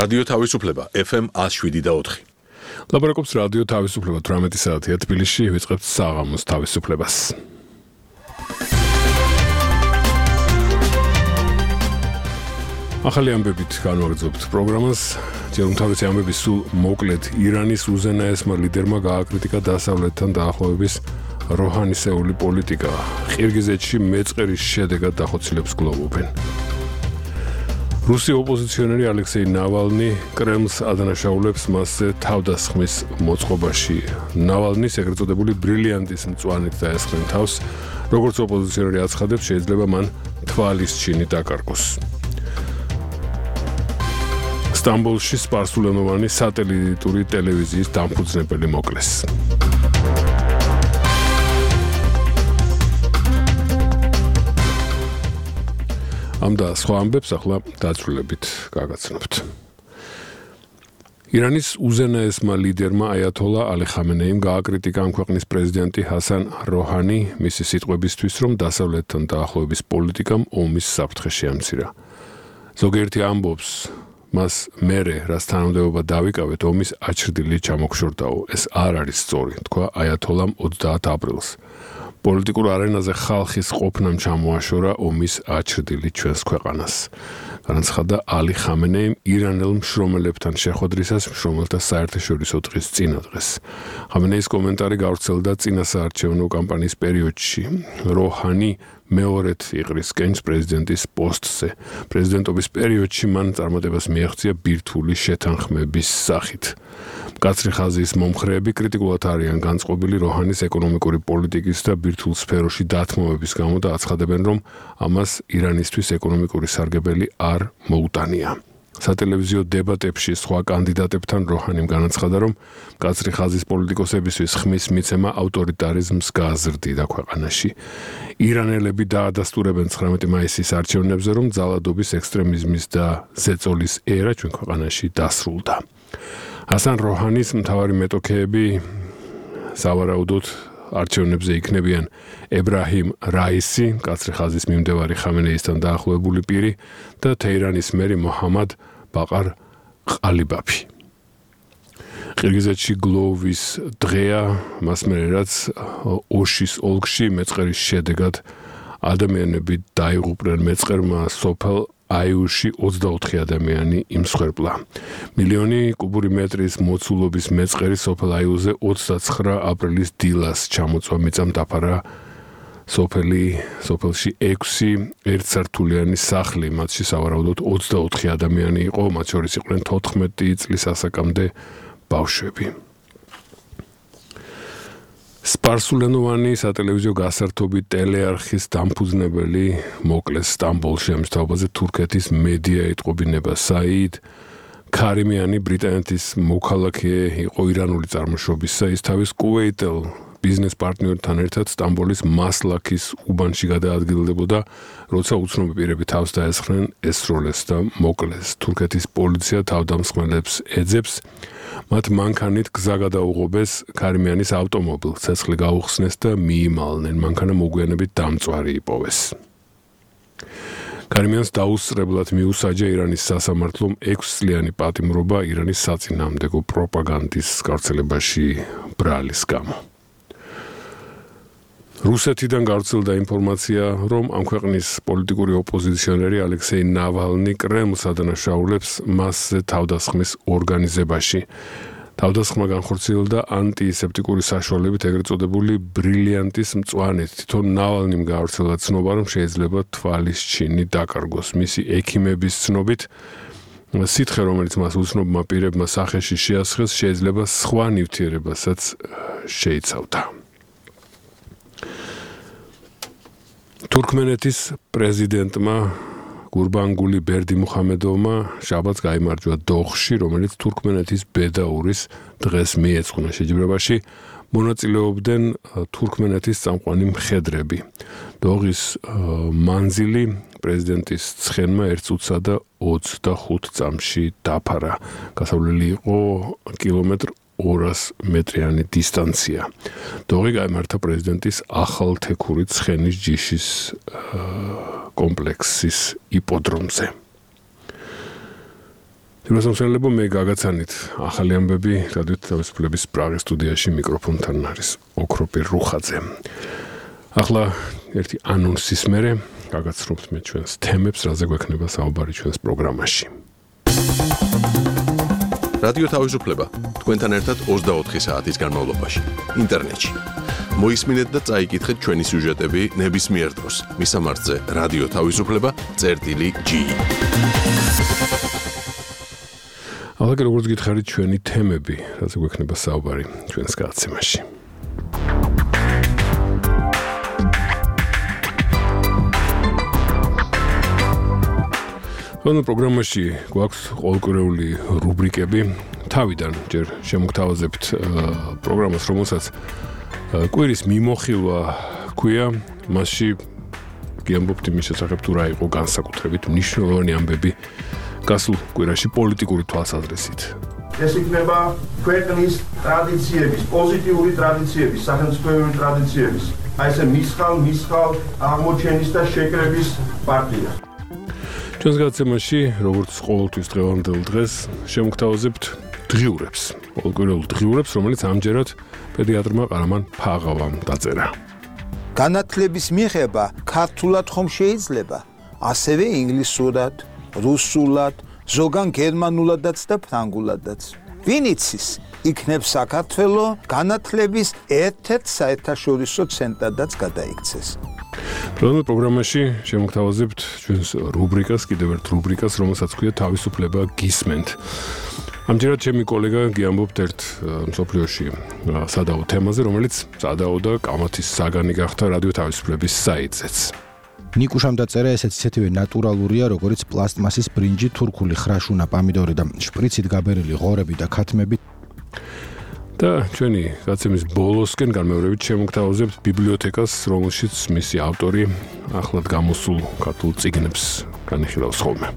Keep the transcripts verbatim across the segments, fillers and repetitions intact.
რადიო თავისუფლება ეფ ემ one oh seven და four. ლაპარაკობს რადიო თავისუფლება eighteen საათია თბილისში ვიწყებთ საღამოს თავისუფლებას. ახალი ამბებით განვაგრძობთ პროგრამას. ჯერ უმთავრესი ამბები სულ მოკლედ ირანის უზენაესმა ლიდერმა გააკრიტიკა დასავლეთთან დაახლოების როჰანისეული პოლიტიკა. ყირგიზეთში მეწყერის შედეგად დახოცილებს გლოვობენ. რუსი ოპოზიციონერი ალექსეი ნავალნი კრემლს ადანაშაულებს მასზე თავდასხმის მოწყობაში. ნავალნის ეგრეთ წოდებული ბრილიანტის მწვანით დაესხნენ თავს, როგორც ოპოზიციონერი აცხადებს, შეიძლება მან თვალის ჩინი დაკარგოს. სტამბოლში სპარსულენოვანი სატელიტური ტელევიზიის დამფუძნებელი მოკლეს. ამ და სხვა ამბებს ახლა დაწვრილებით გაგაცნობთ. ირანის უზენაესმა ლიდერმა აიათოლა ალი ხამენეიმ გააკრიტიკა ამ ქვეყნის პრეზიდენტი ჰასან როჰანი მისი სიტყვებისთვის, რომ დასავლეთთან დაახლოების პოლიტიკამ ომის საფრთხე შეამცირა. ზოგიერთი ამბობს, მას მერე, რაც თანამდებობა დავიკავეთ, ომის აჩრდილი ჩამოგშორდაო. ეს არ არის სწორი, თქვა აიათოლამ ოცდაათ აპრილს. პოლიტიკურ არენაზე ხალხის ყოფნამ ჩამოაშორა ომის აჩრდილი ჩვენს ქვეყანას. განაცხადა ალი ხამენეიმ ირანელ მშრომელებთან შეხვედრისას მშრომელთა საერთაშორისო დღის წინადღეს. ხამენეის კომენტარი გავრცელდა წინასაარჩევნო კამპანიის პერიოდში. როჰანი მეორედ იყრის კენჭს პრეზიდენტის პოსტზე. პრეზიდენტობის პერიოდში მან წარმატებას მიაღწია ბირთვული შეთანხმების სახით. მკაცრი ხაზის მომხრეები კრიტიკულად არიან განწყობილი როჰანის ეკონომიკური პოლიტიკის და ბირთვულ სფეროში დათმობების გამო და აცხადებენ, რომ ამას ირანისთვის ეკონომიკური სარგებელი არ მოუტანია. სატელევიზიო დებატებში სხვა კანდიდატებთან როჰანიმ განაცხადა, რომ მკაცრი ხაზის პოლიტიკოსებისთვის ხმის მიცემა ავტორიტარიზმს გააზრდიდა ქვეყანაში. ირანელები დაადასტურებენ ცხრამეტი მაისის არჩევნებზე, რომ ძალადობის, ექსტრემიზმის და ზეწოლის ერა ჩვენ ქვეყანაში დასრულდა. ჰასან როჰანის მთავარი მეტოქეები სავარაუდოდ არჩევნებზე იქნებიან ებრაჰიმ რაისი, მკაცრი ხაზის მიმდევარი ხამენეისთან დაახლოებული პირი და თეირანის მერი მოჰამად ბაყარ ყალიბაფი. ყირგიზეთში გლოვის დღეა, მას მერე რაც ოშის ოლქში მეწყერის შედეგად ადამიანები დაიღუპნენ. მეწყერმა სოფელ აიუში ოცდაოთხი ადამიანი იმსხვერპლა. მილიონი კუბური მეტრის მოცულობის მეწყერი სოფელ აიუზე ოცდაცხრა აპრილის დილას ჩამოწვა მიწამ დაფარა სოფელი სოფელში ექვსი ერთსართულიანი სახლი, მათში სავარაუდოდ ოცდაოთხი ადამიანი იყო, მათ შორის იყვნენ თოთხმეტი წლის ასაკამდე ბავშვები. სპარსულენოვანი სატელევიზიო გასართობი ტელეარხის დამფუძნებელი მოკლეს სტამბოლში. ამის თაობაზე თურქეთის მედია ეტყობინება. საიდ ქარიმიანი ბრიტანეთის მოქალაქე იყო ირანული წარმოშობისა. ის თავის კუვეიტელ ბიზნეს პარტნიორთან ერთად სტამბოლის მასლაქის უბანში გადაადგილდებოდა, როცა უცნობი პირები თავს დაესხნენ, ესროლეს და მოკლეს. თურქეთის პოლიცია თავდამსხმელებს ეძებს. მათ მანქანით გზა გადაუღობეს ქარიმიანის ავტომობილს, ცეცხლი გაუხსნეს და მიიმალნენ. მანქანა მოგვიანებით დამწვარი იპოვეს. ქარიმიანს დაუსწრებლად მიუსაჯა ირანის სასამართლომ ექვსწლიანი პატიმრობა ირანის საწინააღმდეგო პროპაგანდის გავრცელებაში ბრალის გამო. რუსეთიდან გავრცელდა ინფორმაცია, რომ ამ ქვეყნის პოლიტიკური ოპოზიციონერი ალექსეი ნავალნი კრემლს ადანაშაულებს მასზე თავდასხმის ორგანიზებაში. თავდასხმა განხორციელდა ანტისეპტიკური საშუალებით, ეგრეთ წოდებული ბრილიანტის მწვანით. თვითონ ნავალნიმ გავრცელა ცნობა, რომ შეიძლება თვალის ჩინი დაკარგოს. მისი ექიმების ცნობით, სითხე, რომელიც მას უცნობმა პირებმა სახეში შეასხეს, შეიძლება სხვა ნივთიერებასაც შეიცავდა. თურქმენეთის პრეზიდენტმა გურბანგული ბერდიმუხამედოვმა შაბათს გაიმარჯვა დოხში, რომელიც თურქმენეთის ბედაურის დღეს მიეძღვნა. შეჯიბრებაში მონაწილეობდნენ თურქმენეთის წამყვანი მხედრები. დოღის მანძილი პრეზიდენტის ცხენმა ერთ წუთსა და ოცდახუთ წამში დაფარა. გასავლელი იყო კილომეტრ ორას მეტრიანი დისტანცია. დოღი გაიმართა პრეზიდენტის ახალთექური ცხენის ჯიშის კომპლექსის იპოდრომზე. Ძიროსამშენებლო მე გაგაცანით ახალი ამბები რადიო თავისუფლების პრაღის სტუდიაში მიკროფონთან არის ოქროპირ რუხაძე. ახლა ერთი ანონსის მერე გაგაცნობთ მე ჩვენს თემებს, რაზე გვექნება საუბარი ჩვენს პროგრამაში. რადიო თავისუფლება თქვენთან ერთად ოცდაოთხი საათის განმავლობაში ინტერნეტში. მოისმინეთ და წაიკითხეთ ჩვენი სიუჟეტები ნებისმიერ დროს. მისამართზე რადიო თავისუფლება წერტილი ჯი. ახლა როგორც გითხარით ჩვენი თემები, რაზე გვექნება საუბარი ჩვენს გადაცემაში. ამ პროგრამაში გვაქვს ყოველკვირეული რუბრიკები. თავიდან ჯერ შემოგთავაზებთ პროგრამას, რომელსაც კვირის მიმოხილვა ქვია. მასში გიამბობთ იმის შესახებ, თუ რა იყო განსაკუთრებით მნიშვნელოვანი ამბები გასულ კვირაში პოლიტიკური თვალსაზრისით. ეს იქნება ქვეყნის ტრადიციების, პოზიტიური ტრადიციების, სახელმწიფოებრივი ტრადიციების, აი ესე მისხალ, მისხალ აღმოჩენის და შეკრების პარტია. ჩვენს გადაცემაში, როგორც ყოველთვის დღევანდელ დღეს, შემოგთავაზებთ დღიურებს, ყოველკვირეულ დღიურებს, რომელიც ამჯერად პედიატრმა ყარამან ფაღავამ დაწერა. განათლების მიღება ქართულად ხომ შეიძლება, ასევე ინგლისურად, რუსულად, ზოგან გერმანულადაც და ფრანგულადაც. ვინ იცის, იქნებ საქართველო განათლების ერთ-ერთ საერთაშორისო ცენტრადაც გადაიქცეს. დღევანდელ პროგრამაში შემოგთავაზებთ ჩვენს რუბრიკას, კიდევ ერთ რუბრიკას, რომელსაც ქვია თავისუფლება გისმენთ. ამჯერად ჩემი კოლეგა გიამბობთ ერთ მსოფლიოში სადაო თემაზე, რომელიც სადაო და კამათის საგანი გახდა რადიო თავისუფლების საიტზეც. ნიკუშამ დაწერა ესეც ისეთივე ნატურალურია, როგორც პლასტმასის ბრინჯი, თურქული ხრაშუნა, პამიდორი და შპრიცით გაბერილი ღორები და ქათმები. და ჩვენი გადაცემის ბოლოსკენ განმეორებით შემოგთავაზებთ ბიბლიოთეკას, რომელშიც მისი ავტორი ახლად გამოსულ ქართულ წიგნებს განიხილავს ხოლმე.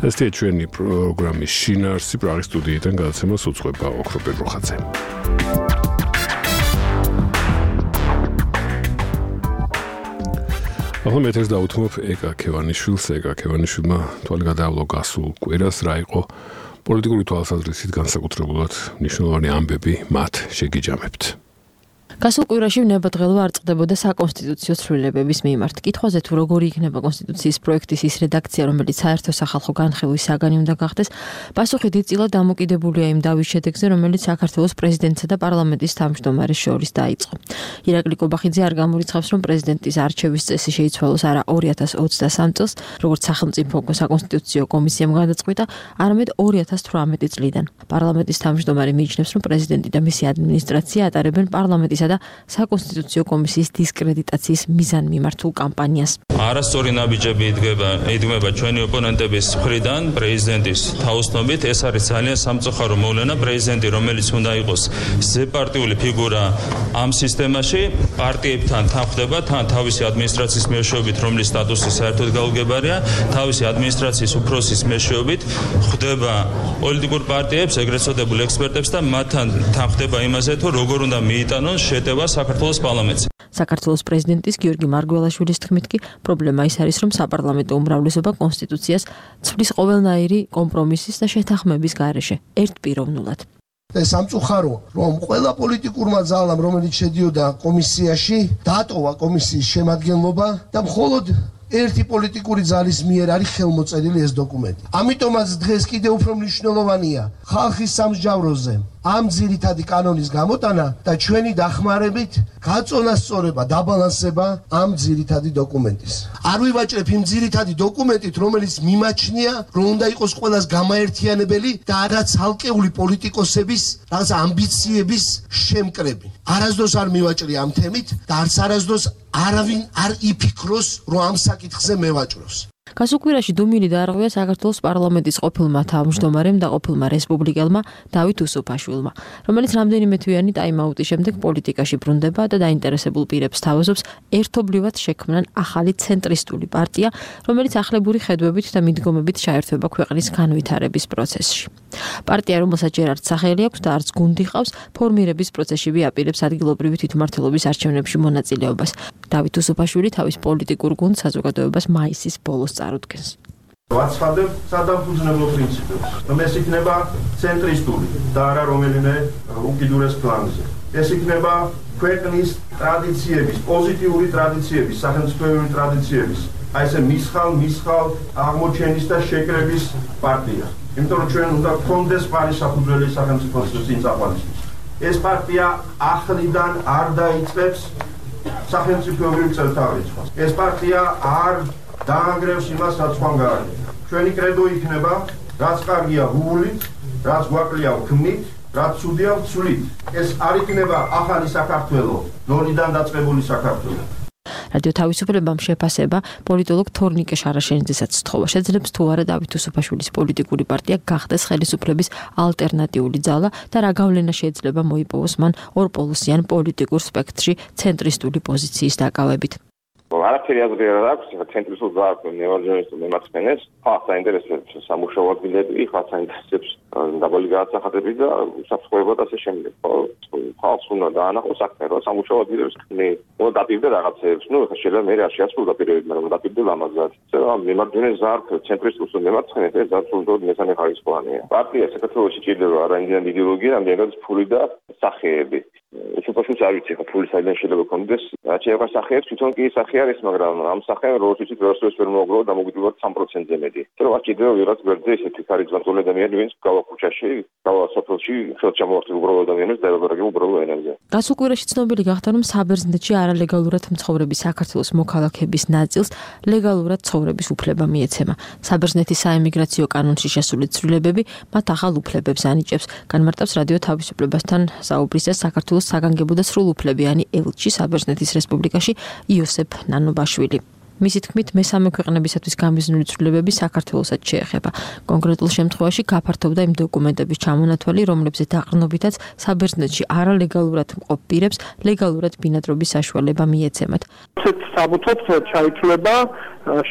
ესეთი ჩვენი პროგრამის შინაარსი პრაღის სტუდიიდან გადაცემას უძღვება ოქროპირ რუხაძე. ახლა მე ეს დავუთმობ ეკა ქევანიშვილს, ეკა ქევანიშვილმა თვალი გადაავლო გასულ კვირას, რა იყო პოლიტიკური თვალსაზრისით განსაკუთრებულად მნიშვნელოვანი ამბები მათ შეგიჯამებთ. გასულ კვირაში ნებადღელვა არ წყდებოდა საკონსტიტუციო ცვლილებების მიმართ. კითხვაზე თუ როგორი იქნება კონსტიტუციის პროექტის ის რედაქცია, რომელიც საერთო სახალხო განხილვის საგანი უნდა გახდეს, პასუხი დიდწილად დამოკიდებულია იმ დავის შედეგზე, რომელიც საქართველოს პრეზიდენტსა და პარლამენტის თავმჯდომარეს შორის დაიწყო. ირაკლი კობახიძე არ გამორიცხავს, რომ პრეზიდენტის არჩევის წესი შეიცვალოს არა ორი ათას ოცდასამ წელს, როგორც სახელმწიფო საკონსტიტუციო კომისიამ გადაწყვიტა, არამედ ორი ათას თვრამეტი წლიდან. პარლამენტის თავმჯდომარე მიიჩნევს, რომ პრეზიდენტი და მისი ადმინისტრაცია ატარებენ პარლამენტის და საკონსტიტუციო კომისიის დისკრედიტაციის მიზანმიმართულ კამპანიას. არასწორი ნაბიჯები იდგება, იდგმება ჩვენი ოპონენტების მხრიდან პრეზიდენტის თაოსნობით. ეს არის ძალიან სამწუხარო მოვლენა. პრეზიდენტი, რომელიც უნდა იყოს ზეპარტიული ფიგურა ამ სისტემაში, პარტიებთან თანხდება, თან თავისი ადმინისტრაციის მეშვეობით, რომლის სტატუსი საერთოდ გაუგებარია, თავისი ადმინისტრაციის უფროსის მეშვეობით ხვდება პოლიტიკურ პარტიებს, ეგრეთ წოდებულ ექსპერტებს და მათთან თანხდება იმაზე, თუ როგორ უნდა მიიტანონ შეტევა საქართველოს პარლამენტზე. საქართველოს პრეზიდენტის გიორგი მარგველაშვილის თქმით კი პრობლემა ის არის, რომ საპარლამენტო უმრავლესობა კონსტიტუციას ცვლის ყოველნაირი კომპრომისის და შეთანხმების გარეშე ერთპიროვნულად. ეს სამწუხარო, რომ ყველა პოლიტიკურმა ძალამ, რომელიც შედიოდა კომისიაში, დატოვა კომისიის შემადგენლობა და მხოლოდ ერთი პოლიტიკური ძალის მიერ არის ხელმოწერილი ეს დოკუმენტი. ამიტომაც დღეს კიდევ უფრო მნიშვნელოვანია ხალხის სამსჯავროზე ამ ძირითადი კანონის გამოტანა და ჩვენი დახმარებით გაწონასწორება, დაბალანსება ამ ძირითადი დოკუმენტის. არ ვივაჭრებ იმ ძირითადი დოკუმენტით, რომელიც მიმაჩნია, რომ უნდა იყოს ყველას გამაერთიანებელი და არა ცალკეული პოლიტიკოსების რაღაც ამბიციების შემკრები. არასდროს არ მივაჭრე ამ თემით და არც არასდროს არავინ არ იფიქროს, რომ ამ საკითხზე მევაჭროს. გასულ კვირაში დუმილი დაარღვია საქართველოს პარლამენტის ყოფილმა თავმჯდომარემ და ყოფილმა რესპუბლიკელმა დავით უსუფაშვილმა, რომელიც რამდენიმე თვიანი ტაიმაუტის შემდეგ პოლიტიკაში ბრუნდება და დაინტერესებულ პირებს თავაზობს ერთობლივად შექმნან ახალი ცენტრისტული პარტია, რომელიც ახლებური ხედვებით და მიდგომებით ჩაერთვება ქვეყნის განვითარების პროცესში. პარტია, რომელსაც ჯერ არც სახელი აქვს და არც გუნდი ყავს, ფორმირების პროცესში აპირებს ადგილობრივი თვითმმართველობის არჩევნებში მონაწილეობას. დავით უსუფაშვილი თავის პოლიტიკურ გუნდს საზოგადოებას მაისის ბოლოს წარუდგენს. ვაცხადებ სადამფუძნებლო პრინციპებს. ეს იქნება ცენტრისტული და არა რომელიმე უკიდურეს ფლანგზე. ეს იქნება ქვეყნის ტრადიციების, პოზიტიური ტრადიციების, სახელმწიფოებრივი ტრადიციების, აი ესე მისხალ, მისხალ აღმოჩენის და შეკრების პარტია. იმიტომ რომ ჩვენ უნდა გქონდეს პარისაფუძველი სახელმწიფოს წინწაყვანისთვის. ეს პარტია ახლიდან არ დაიწყებს სახელმწიფოებრივ წელთაღრიცხვას. ეს პარტია არ დაანგრევს იმას, რაც ხან გაარეთ. ჩვენი კრედო იქნება, რაც კარგია ვუვლით, რაც გვაკლია ვქმნით, რაც ცუდია ვცვლით. ეს არ იქნება ახალი საქართველო, ნოლიდან დაწყებული საქართველო. რადიო თავისუფლებამ შეფასება პოლიტოლოგ თორნიკე შარაშენიძესაც სთხოვა. შეძლებს თუ არა დავით უსუფაშვილის პოლიტიკური პარტია გახდეს ხელისუფლების ალტერნატიული ძალა და რა გავლენა შეიძლება მოიპოვოს მან ორპოლუსიან პოლიტიკურ სპექტრში ცენტრისტული პოზიციის დაკავებით. არაფერი აზრი არ აქვს, ცენტრისტულ ძალას ნეორჯონისტ მემარცხენეს, ხალხს აინტერესებს სამუშაო ადგილები, ხალხს აინტერესებს დაბალი განათლება და უსაფრთხოება და ასე შემდეგ. ხალხს უნდა დაანახოს საქმე, რომ სამუშაო ადგილებს მე მოდაპირდა რაღაცეებს, ну, ხა შეიძლება მე რა შეასრულა პირობები, მაგრამ მოდაპირდა ლამაზად. ეს მემარჯვენე ზარფ ცენტრისტულ მემარცხენეს ეს ზარფულდოდ მესამე ხარისხოვანია. პარტია საქართველოში ჭირდება არა იმდენად იდეოლოგია, რამდენად ფული და სახეები. უცბაშვიც არ ვიცი ხა ფული საიდან შეიძლება კონდეს. რაც შეეხება სახეებს, თვითონ კი სახე არის, მაგრამ ამ სახეებს როგორც ვიცით, როსტოს ვერ მოგრო და მოგვიდგებათ 삼 პროცენტზე მეტი. რომ არ ჭირდება ვიღაც გვერდზე ესეთი ქარიზმატული ადამიანი, ვინც გავა ქუჩაში, გავა სოფელში, ხელთ ჩამოართვი უბრალო ადამიანებს და ელაბორატები უბრალო ენაზე. გასულ კვირაში ცნობილი გახდა, რომ საბერძნეთში არალეგალურად მცხოვრები საქართველოს მოქალაქეების ნაწილს ლეგალურად ცხოვრების უფლება მიეცემა. საბერძნეთის საემიგრაციო კანონში შესული ცვლილებები მათ ახალ უფლებებს ანიჭებს. განმარტავს რადიო თავისუფლებასთან საუბრისას საქართველოს საგანგებო და სრულუფლებიანი ელჩი საბერძნეთის რესპუბლიკაში იოსებ ნანობაშვილი. მისი თქმით, მესამე ქვეყნებისათვის გამიზნული ცვლილებები საქართველოსაც შეეხება. კონკრეტულ შემთხვევაში გაფართოვდა იმ დოკუმენტების ჩამონათვალი, რომლებზეც დაყრდნობითაც საბერძნეთში არალეგალურად მყოფ პირებს ლეგალურად ბინადრობის საშუალება მიეცემათ. საბუთად ჩაითვლება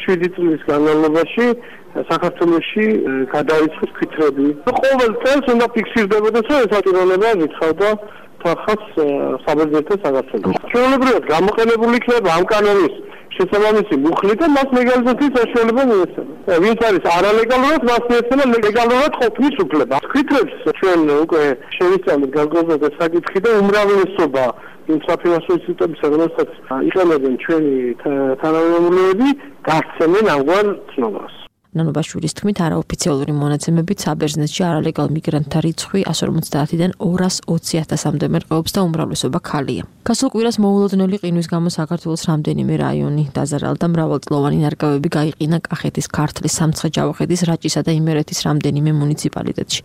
შვიდი წლის განმავლობაში საქართველოში გადაიწყოს ფიქრები. ყოველ წელს უნდა ფიქსირდებოდეს, რომ ეს ატირონება ვითხოვდა ხალხს საბერძნეთის საქართველოს. ჩვეულებრივად გამოყენებული იქნება ამ კანონის შესაბამისი მუხლი და მას ლეგალიზაციის საშუალება მიეცემა. ვინც არის არალეგალურად, მას მიეცემა ლეგალურად ყოფნის უფლება. ფიქრებს ჩვენ უკვე შევისწავლეთ განსხვავებული საკითხი და უმრავლესობა იმ საფინანსო ინსტიტუტებისა, რომელსაც იყენებენ ჩვენი თანამემამულეები, გასცემენ ამგვარ ცნობას. ნანობაშვილის თქმით, არაოფიციალური მონაცემებით საბერძნეთში არალეგალ მიგრანტთა რიცხვი εκατს ორმოცდაათიდან ორას ოცი ათასამდე მერყეობს და უმრავლესობა ქალია. გასულ კვირას მოულოდნელი ყინვის გამო საქართველოს რამდენიმე რაიონი დაზარალდა, მრავალწლოვანი ნარგავები გაიყინა კახეთის, ქართლის, სამცხე-ჯავახეთის, რაჭისა და იმერეთის რამდენიმე მუნიციპალიტეტში.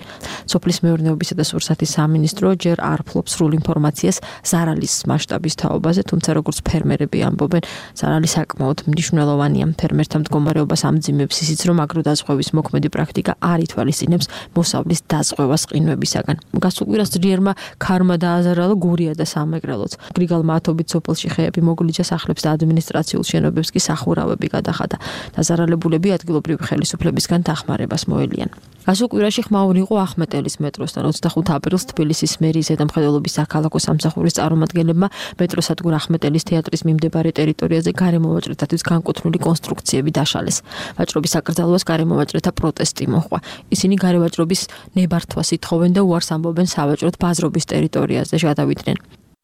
სოფლის მეურნეობისა და სურსათის სამინისტრო ჯერ არ ფლობს სრულ ინფორმაციას ზარალის მასშტაბის თაობაზე, თუმცა როგორც ფერმერები ამბობენ, ზარალი საკმაოდ მნიშვნელოვანია. ფერმერთა მდგომარეობას ამძიმებს ისიც, რომ აგროდაზღვევის მოქმედი პრაქტიკა არ ითვალისწინებს მოსავლის დაზღვევას ყინვებისაგან. გასულ კვირას ძლიერმა ქარმა დააზარალა გურია და სამეგრელოც. გრიგალ მათობით სოფელში ხეები მოგლიჯა, სახლებს და ადმინისტრაციულ შენობებს კი სახურავები გადახადა. დაზარალებულები ადგილობრივი ხელისუფლებისგან დახმარებას მოელიან. გასულ კვირაში ხმაური იყო ახმეტელის მეტროსთან. ოცდახუთი აპრილს თბილისის მერიის ზედამხედველობის საქალაქო სამსახურის წარმომადგენლებმა მეტროსადგურ ახმეტელის თეატრის მიმდებარე ტერიტორიაზე გარემოვაჭრეთათვის განკუთვნილი კონსტრუქციები დაშალეს. ვაჭრობის აკრძალვას გარემოვაჭრეთა პროტესტი მოჰყვა. ისინი გარევაჭრობის ნებართვას ითხოვენ და უარს ამბობენ სავაჭროდ ბაზრობის ტერიტორიაზე გადავიდნენ.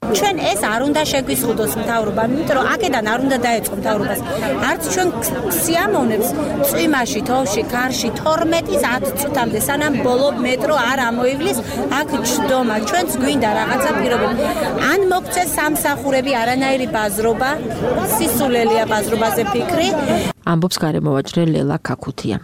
ჩვენ ეს არ უნდა შეგვიზღუდოს მთავრობამ, იმიტომ რომ აქედან არ უნდა დაეწყო მთავრობას. არც ჩვენ სიამოვნებს წვიმაში, თოვში, კარში თორმეტის ათ წუთამდე სანამ ბოლო მეტრო არ ამოივლის, აქ ჯდომა. ჩვენც გვინდა რაღაცა პირობები. ან მოგცეს სამსახურები, არანაირი ბაზრობა, სისულელია ბაზრობაზე ფიქრი. ამბობს გარემოვაჭრე ლელა ქაქუთია.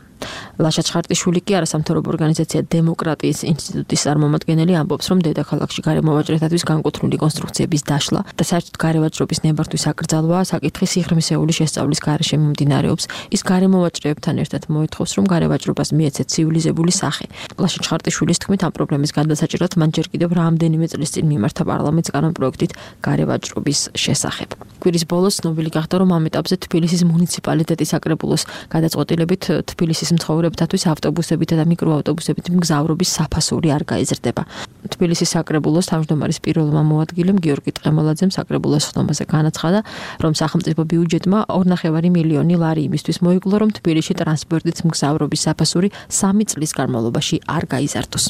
ლაშა ჩხარტიშვილი კი არასამთავრობო ორგანიზაცია დემოკრატიის ინსტიტუტის წარმომადგენელი ამბობს, რომ დედაქალაქში გარემოვაჭრეთათვის განკუთვნილი კონსტრუქციების დაშლა და საერთოდ გარევაჭრობის ნებართვის აკრძალვა საკითხი სიღრმისეული შესწავლის გარეშე მიმდინარეობს. ის გარემოვაჭრეებთან ერთად მოითხოვს, რომ გარევაჭრობას მიეცეთ ცივილიზებული სახე. ლაშა ჩხარტიშვილის თქმით, ამ პრობლემის გადასაჭრად მან ჯერ კიდევ რამდენიმე წლის წინ მიმართა პარლამენტს კანონპროექტით გარევაჭრობის შესახებ. კვირის ბოლოს ცნობილი გახდა, რომ ამ ეტაპზე თბილისის მუნიციპალიტეტის საკრებულოს გადაწყვეტილებით თბილისის მცხოვრებ მგზავრობთათვის ავტობუსებითა და მიკროავტობუსებით მგზავრობის საფასური არ გაიზრდება. თბილისის საკრებულოს თავმჯდომარის პირველმა მოადგილემ გიორგი ტყემოლაძემ საკრებულოს ხდომაზე განაცხადა, რომ სახელმწიფო ბიუჯეტმა ორი ნახევარი მილიონი ლარი იმისთვის მოიგლო, რომ თბილისში ტრანსპორტით მგზავრობის საფასური სამი წლის განმავლობაში არ გაიზარდოს.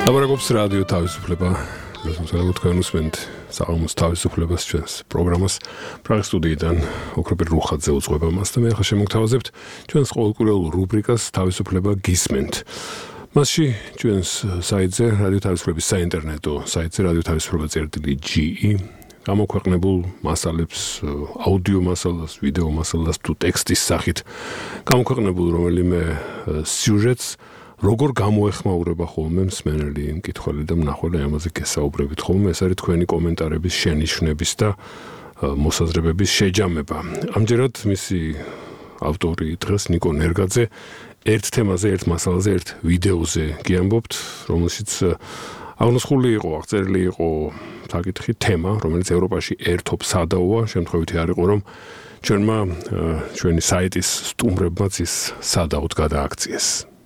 ლაბორატორიის რადიო თავისუფლება, რადგან თქვენ უსმენთ საღამოს თავისუფლებას ჩვენს პროგრამას პრაღის სტუდიიდან ოქროპერ რუხაძე უძღვება მას და მე ახლა შემოგთავაზებთ ჩვენს ყოველკვირეულ რუბრიკას თავისუფლება გისმენთ. მასში ჩვენს საიტზე რადიო თავისუფლების საინტერნეტო საიტზე რადიო თავისუფლება წერტილი ჯი გამოქვეყნებულ მასალებს, აუდიო მასალას, ვიდეო მასალას თუ ტექსტის სახით გამოქვეყნებულ რომელიმე სიუჟეტს როგორ გამოეხმაურება ხოლმე მსმენელი, მკითხველი და მნახველი ამაზე გესაუბრებით ხოლმე, ეს არის თქვენი კომენტარების შენიშვნების და მოსაზრებების შეჯამება. ამჯერად მისი ავტორი დღეს ნიკო ნერგაძე ერთ თემაზე, ერთ მასალაზე, ერთ ვიდეოზე გიამბობთ, რომელშიც აღნოსხული იყო, აღწერილი იყო საკითხი თემა, რომელიც ევროპაში ერთობ სადაოა, შემთხვევითი არ იყო, რომ ჩვენმა ჩვენი საიტის სტუმრებმაც ის სადაოდ გადააქციეს.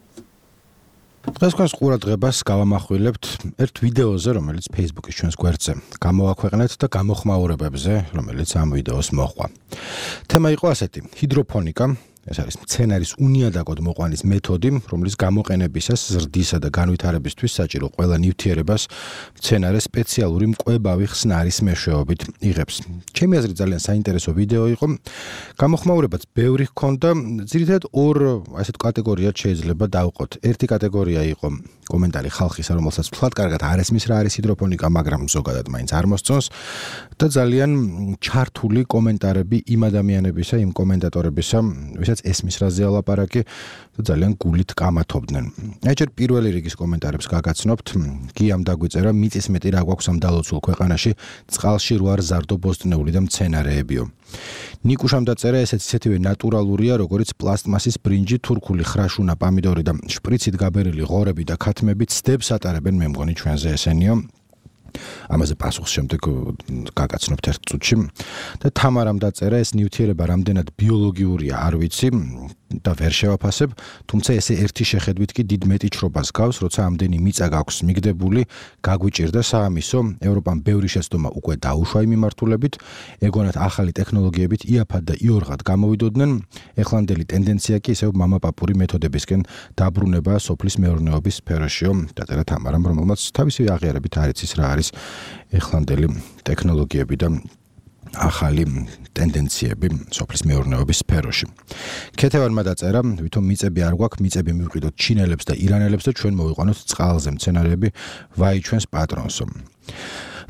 დღეს თქვენს ყურადღებას გავამახვილებთ ერთ ვიდეოზე, რომელიც Facebook-ის ჩვენს გვერდზე გამოვაქვეყნეთ და გამოხმაურებებზე, რომელიც ამ ვიდეოს მოჰყვა. თემა იყო ასეთი: ჰიდროფონიკა. ეს არის მცენარის უნიადაგოდ მოყვანის მეთოდი, რომლის გამოყენებისას ზრდისა და განვითარებისთვის საჭირო ყველა ნივთიერებას მცენარე სპეციალური მკვებავი ხსნარის მეშვეობით იღებს. ჩემი აზრით ძალიან საინტერესო ვიდეო იყო. გამოხმაურებაც ბევრი ჰქონდა, ძირითადად ორ ასეთ კატეგორიად შეიძლება დავყოთ. ერთი კატეგორია იყო კომენტარი ხალხისა, რომელსაც ვთქვათ, კარგად არ ესმის რა არის ჰიდროფონიკა, მაგრამ ზოგადად მაინც არ მოსწონს და ძალიან ჩართული კომენტარები იმ ადამიანებისა, იმ კომენტატორებისა, ვისაც ესმის რაზე ალაპარაკი და ძალიან გულით კამათობდნენ. აი ჯერ პირველი რიგის კომენტარებს გაგაცნობთ. გიამ დაგვიწერა, მიწის მეტი რა გვაქვს ამ დალოცულ ქვეყანაში, წყალში რო არ ზარდო ბოსტნეული და მცენარეებიო. ნიკუშამ დაწერა, ესეც ისეთივე ნატურალურია, როგორც პლასტმასის ბრინჯი, თურქული ხრაშუნა, პამიდორი და შპრიცით გაბერილი ღორები და ქათმები ცდებს ატარებენ, მე მგონი ჩვენზე ესენიო. ამაზე პასუხს შემდეგ გაგაცნობთ ერთ წუთში და თამარამ დაწერა, ეს ნივთიერება რამდენად ბიოლოგიურია არ ვიცი და ვერ შევაფასებ, თუმცა ესე ერთი შეხედვით კი დიდ მეტიჩრობას გავს, როცა ამდენი მიწა გაქვს მიგდებული, გაგვიჭირდა საამისო, ევროპამ ბევრი შეცდომა უკვე დაუშვა იმ მიმართულებით, ეგონათ ახალი ტექნოლოგიებით იაფად და იორღად გამოვიდოდნენ, ეხლანდელი ტენდენცია კი ისევ მამაპაპური მეთოდებისკენ დაბრუნება სოფლის მეურნეობის სფეროშიო, დაწერა თამარამ, რომელმაც თავისი აღიარებით არ იცის რა არის ეხლანდელი ტექნოლოგიები და ახალი ტენდენციები სოფლის მეურნეობის სფეროში. ქეთევანმა დაწერა, ვითომ მიწები არ გვაქვს, მიწები მივყიდოთ ჩინელებს და ირანელებს და ჩვენ მოვიყვანოთ წყალზე მცენარეები, ვაი ჩვენს პატრონსო.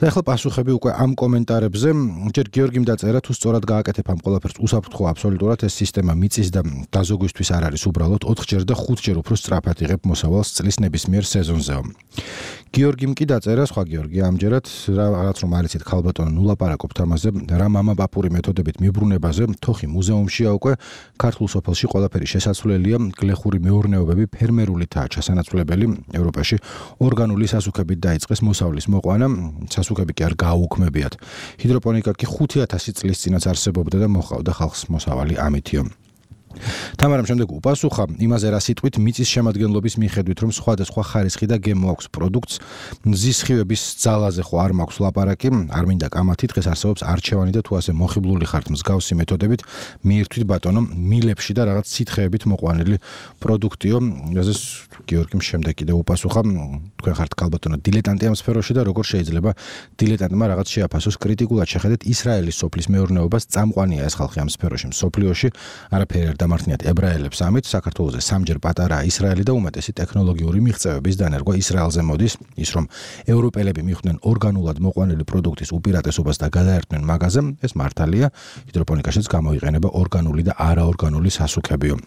და ახლა პასუხები უკვე ამ კომენტარებზე, ჯერ გიორგიმ დაწერა, თუ სწორად გააკეთებ ამ ყველაფერს უსაფრთხო აბსოლუტურად ეს სისტემა მიწის და დაზოგვისთვის არ არის უბრალოდ ოთხჯერ და ხუთჯერ უფრო სწრაფად იღებ მოსავალს წლის ნებისმიერ სეზონზეო. გიორგიმ კი დაწერა, სხვა გიორგი ამჯერად რაღაც რომ არ იცით ქალბატონო ნუ ლაპარაკობთ ამაზე, რა მამაპაპური მეთოდებით მიბრუნებაზე, თოხი მუზეუმშია უკვე, ქართულ სოფელში ყველაფერი შესაძლებელია, გლეხური მეურნეობები ფერმერულითაა ჩასანაცვლებელი, ევროპაში ორგანული სასუქებით დაიწყეს მოსავლის მოყვანა, სასუქები კი არ გააუქმებიათ. ჰიდროპონიკა კი ხუთი ათასი წლის წინაც არსებობდა და მოჰყავდა ხალხს მოსავალი ამითიო. თამარამ შემდეგ უპასუხა იმაზე რა სიტყვით მიწის შემადგენლობის მიხედვით რომ სხვადასხვა ხარისხი და გემო აქვს პროდუქტს, მზის სხივების ძალაზე ხო არ მაქვს ლაპარაკი, არ მინდა კამათი, დღეს არსებობს არჩევანი და თუ ასე მოხიბლული ხართ მსგავსი მეთოდებით, მიირთვით ბატონო, მილებში და რაღაც სითხეებით მოყვანილი პროდუქტიო, რაზეც გიორგიმ შემდეგ კიდე უპასუხა, თქვენ ხართ ქალბატონო დილეტანტი ამ სფეროში და როგორ შეიძლება დილეტანტმა რაღაც შეაფასოს კრიტიკულად შეხედეთ ისრაელის სოფლის მეურნეობას, წამყვანია ეს ხალხი ამ სფეროში მსოფლიოში, არაფერი დამართნიათ ებრაელებს ამით, საქართველოზე სამჯერ პატარაა ისრაელი და უმეტესი ტექნოლოგიური მიღწევების დანერგვა ისრაელზე მოდის, ის რომ ევროპელები მიხვდნენ ორგანულად მოყვანილი პროდუქტის უპირატესობას და გადაერთნენ მაღაზიაზე, ეს მართალია, ჰიდროპონიკაშიც გამოიყენება ორგანული და არაორგანული სასუქებიო.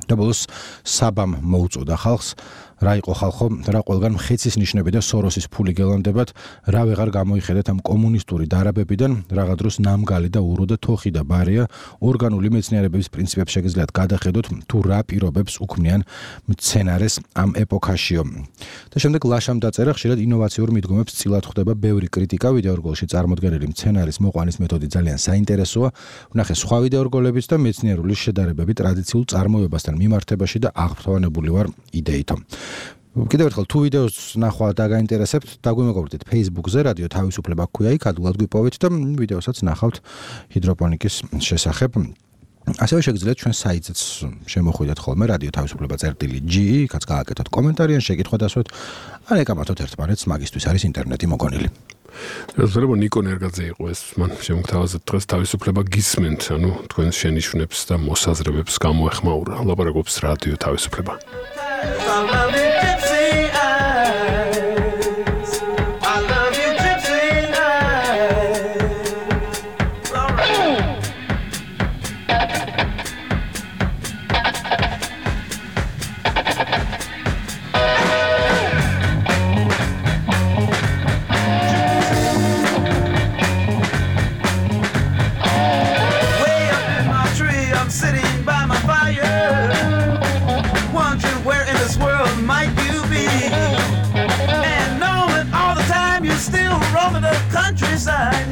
და ბოლოს საბამ მოუწოდა ხალხს, რა იყო ხალხო, რა ყველგან მხეცის ნიშნები და სოროსის ფული გელანდებათ, რა ვეღარ გამოიხედეთ ამ კომუნისტური დარაბებიდან, რაღა დროს ნამგალი და ურო და თოხი და ბარია, ორგანული მეცნიერებების პრინციპებს შეგიძლიათ გადახედოთ, თუ რა პირობებს უქმნიან მცენარეს ამ ეპოქაშიო. და შემდეგ ლაშამ დაწერა, ხშირად ინოვაციურ მიდგომებს წილად ხვდება ბევრი კრიტიკა, ვიდეორგოლში წარმოდგენილი მცენარის მოყვანის მეთოდი ძალიან საინტერესოა, ვნახე სხვა ვიდეორგოლებიც და მეცნიერული შედარებები ტრადიციულ წარმოებასთან მიმართებაში და აღფრთოვანებული ვარ იდეითო. კიდევ ერთხელ თუ ვიდეოს ნახვა დაგაინტერესებთ, დაგვიმეგობრდით Facebook-ზე, რადიო თავისუფლება ქვია, იქ ადულად გვიპოვეთ და ვიდეოსაც ნახავთ ჰიდროპონიკის შესახებ. ასევე შეგიძლიათ ჩვენ საიტზეც შემოხვიდეთ ხოლმე რადიო თავისუფლება წერტილი ჯი, იქაც გააკეთოთ კომენტარი ან შეკითხვა დასვათ, ან ეკამათოთ ერთმანეთს, მაგისთვის არის ინტერნეტი მოგონილი. შეიძლება ნიკო ნერგაძე იყო ეს, მან შემოგთავაზეთ დღეს თავისუფლება გისმენთ, ანუ თქვენ შენიშვნებს და მოსაზრებებს გამოეხმაურა. ლაპარაკობს რადიო თავისუფლება. Countryside,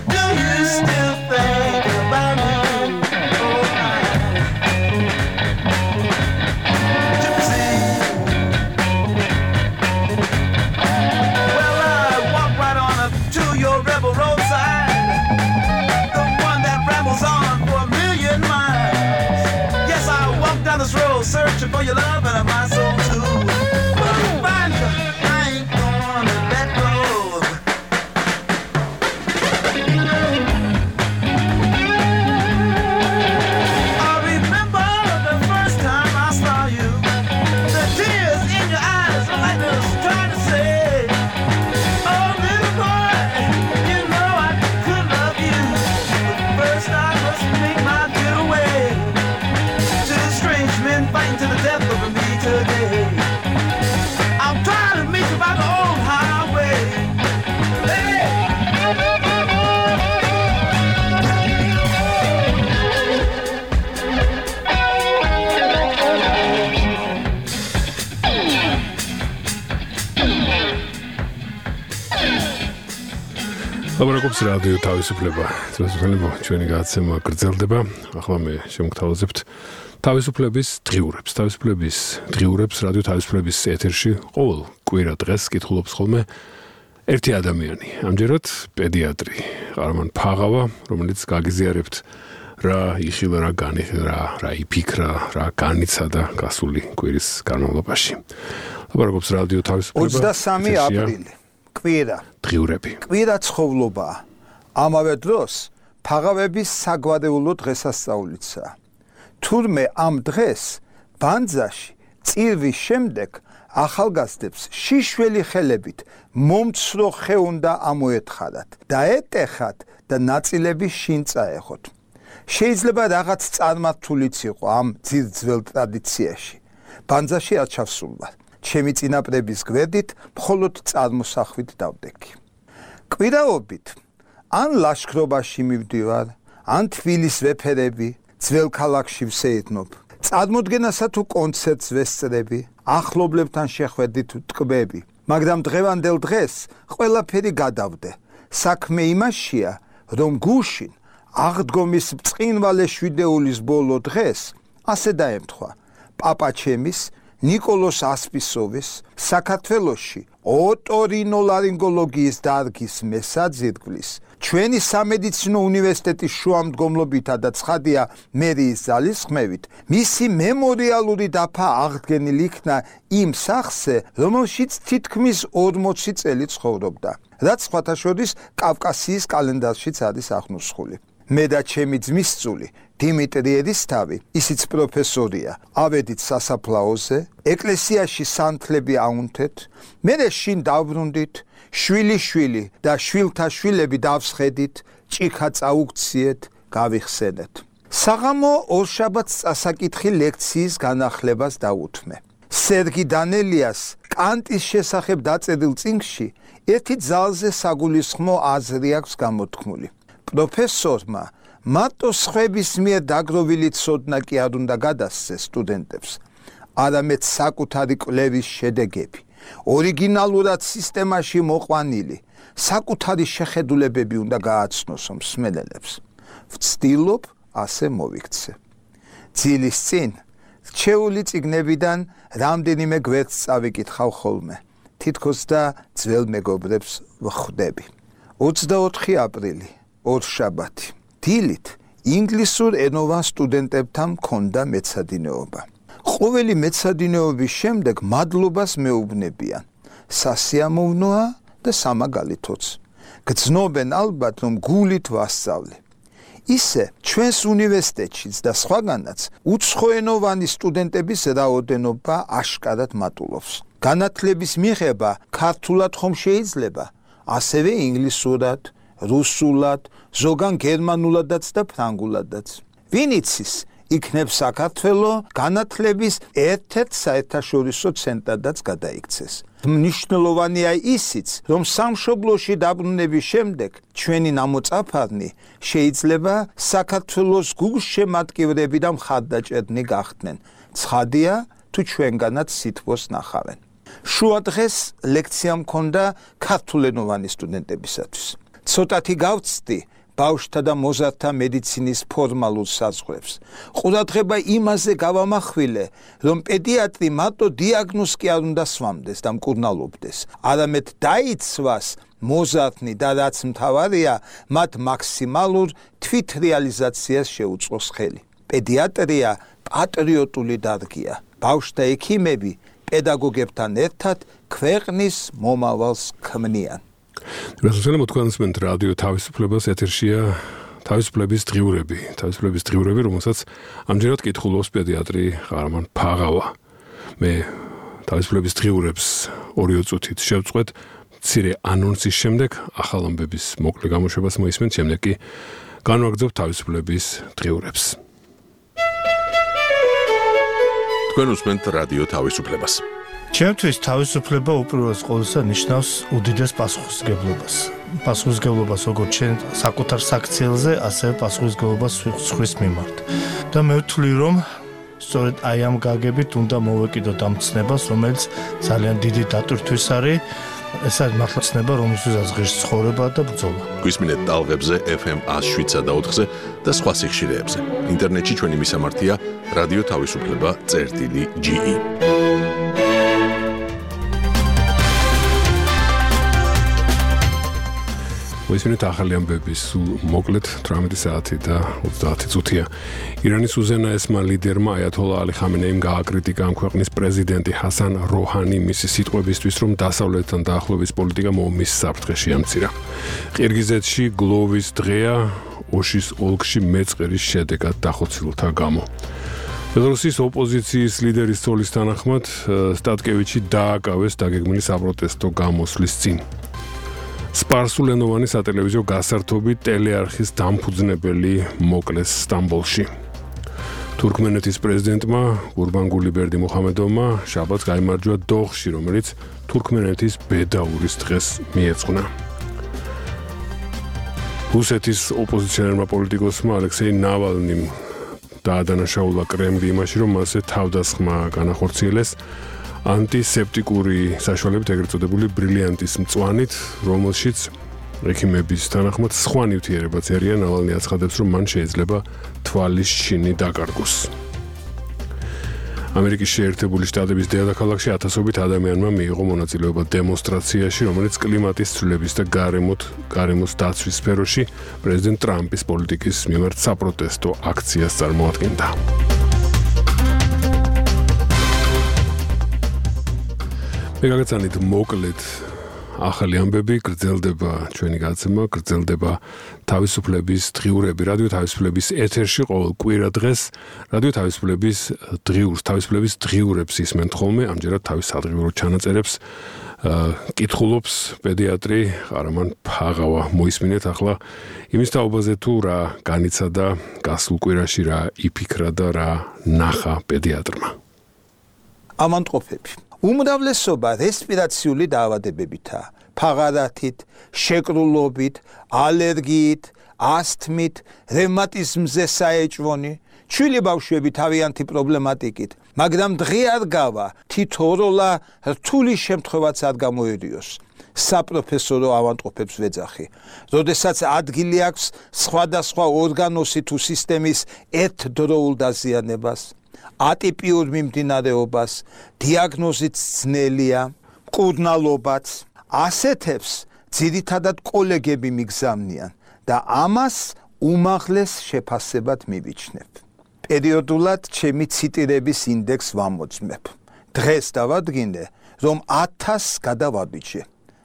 do you still think about me? Oh, Gypsy. Well, I walk right on up to your rebel roadside, the one that rambles on for a million miles. Yes, I walk down this road searching for your love and my soul too. But to find you, I ain't gonna let go. ლაპარაკობს რადიო თავისუფლება. ძველთვილებო ჩვენი გადაცემა გრძელდება. ახლა მე შემოგთავაზებთ თავისუფლების დღიურებს. თავისუფლების დღიურებს რადიო თავისუფლების ეთერში ყოველ კვირა დღეს კითხულობს ხოლმე ერთი ადამიანი. ამჯერად პედიატრი ყარამან ფაღავა, რომელიც გაგიზიარებთ რა იხილა, რა განიხილა, რა იფიქრა, რა განიცადა გასული კვირის განმავლობაში. ლაპარაკობს რადიო თავისუფლება. ოცდამესამე აპრილი. კვირა. დღიურები. კვირა ცხოვრობაა. ამავე დროს ფაღავების საგვარეულო დღესასწაულიცაა. თურმე ამ დღეს ბანძაში წირვის შემდეგ ახალგაზრდებს შიშველი ხელებით მომცრო ხე უნდა ამოეთხარათ და ეტეხათ და ნაწილები შინ წაეხოთ. შეიძლება რაღაც წარმართულიც იყო ამ ძირძველ ტრადიციაში. ბანძაში არ ჩავსულვარ. ჩემი წინაპრების გვერდით მხოლოდ წარმოსახვით დავდექი. კვირაობით ან ლაშქრობაში მივდივარ, ან თბილის ვეფერები, ძველ ქალაქში ვსეირნობ. წარმოდგენასა თუ კონცერტს ვესწრები, ახლობლებთან შეხვედრით ვტკბები, მაგრამ დღევანდელ დღეს ყველაფერი გადავდე. საქმე იმაშია, რომ გუშინ აღდგომის ბრწყინვალე შვიდეულის ბოლო დღეს ასე დაემთხვა პაპაჩემის ნიკოლოს ასპისოვის საქართველოში ოტორინოლარინგოლოგიის დარგის მესაძირკვლის ჩვენი სამედიცინო უნივერსიტეტის შუამდგომლობითა და ცხადია მერიის ძალისხმევით მისი მემორიალური დაფა აღდგენილი იქნა იმ სახლზე, რომელშიც თითქმის ორმოცი წელი ცხოვრობდა, რაც სხვათა შორის კავკასიის კალენდარშიც არის აღნუსხული. მე და ჩემი ძმისწული დიმიტრი ერისთავი, ისიც პროფესორია, ავედით სასაფლაოზე, ეკლესიაში სანთლები აუნთეთ, მერე შინ დავბრუნდით, შვილი-შვილი და შვილთა შვილები დავსხედით, ჭიქა წაუგციეთ, გავიხსენეთ. საღამო ორშაბათს წასაკითხი ლექციის განახლებას დაუთმე. სერგი დანელიას კანტის შესახებ დაწერილ წიგნში ერთი ძალზე საგულისხმო აზრი აქვს გამოთქმული. პროფესორმა მარტო სხვების მიერ დაგროვილი ცოდნა კი არ უნდა გადასცეს სტუდენტებს, არამედ საკუთარი კვლევის შედეგები, ორიგინალურად სისტემაში მოყვანილი, საკუთარი შეხედულებები უნდა გააცნოს მსმენელებს. ვცდილობ ასე მოვიქცე. ძილის წინ რჩეული წიგნებიდან რამდენიმე გვერდს წავიკითხავ ხოლმე, თითქოს და ძველ მეგობრებს ვხვდები. ოცდაოთხი აპრილი, ორშაბათი. დილით ინგლისურ ენოვან სტუდენტებთან მქონდა მეცადინეობა. ყოველი მეცადინეობის შემდეგ მადლობას მეუბნებიან. სასიამოვნოა და სამაგალითოც. გრძნობენ ალბათ, რომ გულით ვასწავლე. ისე ჩვენს უნივერსიტეტშიც და სხვაგანაც უცხოენოვანი სტუდენტების რაოდენობა აშკარად მატულობს. განათლების მიღება ქართულად ხომ შეიძლება, ასევე ინგლისურად, რუსულად, ზოგან გერმანულადაც და ფრანგულადაც. ვინ იცის, იქნებ საქართველო განათლების ერთ-ერთ საერთაშორისო ცენტრადაც გადაიქცეს. მნიშვნელოვანია ისიც, რომ სამშობლოში დაბრუნების შემდეგ ჩვენი ნამოწაფარნი შეიძლება საქართველოს გულშემატკივრები და მხარდაჭერნი გახდნენ. ცხადია, თუ ჩვენგანაც სითბოს ნახავენ. შუადღეს ლექცია მქონდა ქართულენოვანი სტუდენტებისათვის. ცოტათი გავცდი ბავშვთა და მოზარდთა მედიცინის ფორმალურ საზღვრებს. ყურადღება იმაზე გავამახვილე, რომ პედიატრი მარტო დიაგნოზს კი არ უნდა სვამდეს და მკურნალობდეს, არამედ დაიცვას მოზარდნი და რაც მთავარია, მათ მაქსიმალურ თვითრეალიზაციას შეუწყოს ხელი. პედიატრია პატრიოტული დარგია. ბავშვთა ექიმები პედაგოგებთან ერთად ქვეყნის მომავალს ქმნიან. რასაჩვენებო თქვენსმენთ რადიო თავისუფლებას ეთერშია თავისუფლების დღიურები, თავისუფლების დღიურები, რომელსაც ამჯერად კითხულობს პედიატრი ყარამან ფაღავა. მე თავისუფლების დღიურებს ორი წუთით შევწყვეტ, მცირე ანონსის შემდეგ ახალ ამბების მოკლე გამოშვებას მოისმენთ, შემდეგ კი განვაგრძობ თავისუფლების დღიურებს. თქვენ უსმენთ რადიო თავისუფლებას. ჩემთვის თავისუფლება უპირველეს ყოვლისა ნიშნავს უდიდეს პასუხისმგებლობას. პასუხისმგებლობას როგორც ჩვენ საკუთარ საქციელზე, ასევე პასუხისმგებლობას სხვის მიმართ. და მე ვთვლი, რომ სწორედ აი ამ გაგებით უნდა მოვეკიდოთ ამ ცნებას, რომელიც ძალიან დიდი დატვირთვის არის ეს არის მართლა ცნება, რომელსაც ღირს ცხოვრება და ბრძოლა. გვისმინეთ ტალღებზე ეფ ემ one oh four-ზე და სხვა სიხშირეებზე. ინტერნეტში ჩვენი მისამართია რადიო თავისუფლება წერტილი ჯი ი. მოისმინეთ ახალი ამბები სულ მოკლედ თვრამეტი საათი და ოცდაათი წუთია. ირანის უზენაესმა ლიდერმა აიათოლა ალი ხამენეიმ გააკრიტიკა ამ ქვეყნის პრეზიდენტი ჰასან როჰანი მისი სიტყვებისთვის, რომ დასავლეთთან დაახლოების პოლიტიკა ომის საფრთხეში ამცირა. ყირგიზეთში გლოვის დღეა ოშის ოლქში მეწყერის შედეგად დახოცილთა გამო. ბელორუსის ოპოზიციის ლიდერის ცოლის თანახმად სტატკევიჩი დააკავეს დაგეგმილი საპროტესტო გამოსვლის წინ. სპარსულენოვანი სატელევიზიო გასართობი ტელეარხის დამფუძნებელი მოკლეს სტამბოლში. თურქმენეთის პრეზიდენტმა გურბანგული ბერდიმუხამედოვმა შაბათს გაიმარჯვა დოხში, რომელიც თურქმენეთის ბედაურის დღეს მიეძღვნა. რუსეთის ოპოზიციონერმა პოლიტიკოსმა ალექსეი ნავალნიმ დაადანაშაულა კრემლი იმაში, რომ მასზე თავდასხმა განახორციელეს ანტისეპტიკური საშუალებით, ეგრეთ წოდებული ბრილიანტის მწვანით, რომელშიც ექიმების თანახმად სხვა ნივთიერებაც ერია. ნავალნი აცხადებს, რომ მან შეიძლება თვალის შინი დაკარგოს. ამერიკის შეერთებული შტატების დედაქალაქში ათასობით ადამიანმა მიიღო მონაწილეობა დემონსტრაციაში, რომელიც კლიმატის ცვლილების და გარემოთ, გარემოს დაცვის სფეროში პრეზიდენტ ტრამპის პოლიტიკის მიმართ საპროტესტო აქციას წარმოადგენდა. მე გაგაცანით მოკლედ ახალი ამბები, გრძელდება ჩვენი გადაცემა, გრძელდება თავისუფლების დღიურები, რადიო თავისუფლების ეთერში ყოველ კვირა დღეს, რადიო თავისუფლების დღიურს, თავისუფლების დღიურებს ისმენთ ხოლმე, ამჯერად თავის სადღიურო ჩანაწერებს კითხულობს პედიატრი ყარამან ფაღავა. მოისმინეთ ახლა იმის თაობაზე, თუ რა განიცადა გასულ კვირაში, რა იფიქრა და რა ნახა პედიატრმა. ამანტყოფები უმრავლესობა რესპირაციული დაავადებებითაა. ფაღარათით, შეკრულობით, ალერგიით, ასთმით, რევმატიზმზე საეჭვონი, ჩვილი ბავშვები თავიანთი პრობლემატიკით, მაგრამ დღე არ გავა, თითოეულა რთული შემთხვევაც არ გამოერიოს. საპროფესორო ავადმყოფებს ვეძახი. როდესაც ადგილი აქვს სხვადასხვა ორგანოსი თუ სისტემის ერთდროულ დაზიანებას, ატიპიურ მიმდინარეობას, დიაგნოზით ძნელია, მკურნალობაც, ასეთებს ძირითადად კოლეგები მიგზავნიან და ამას უმაღლეს შეფასებად მივიჩნებ. პერიოდულად ჩემი ციტირების ინდექს ვამოძმებ. დღეს დავადგინე, რომ ათასს გადავაბიჯე.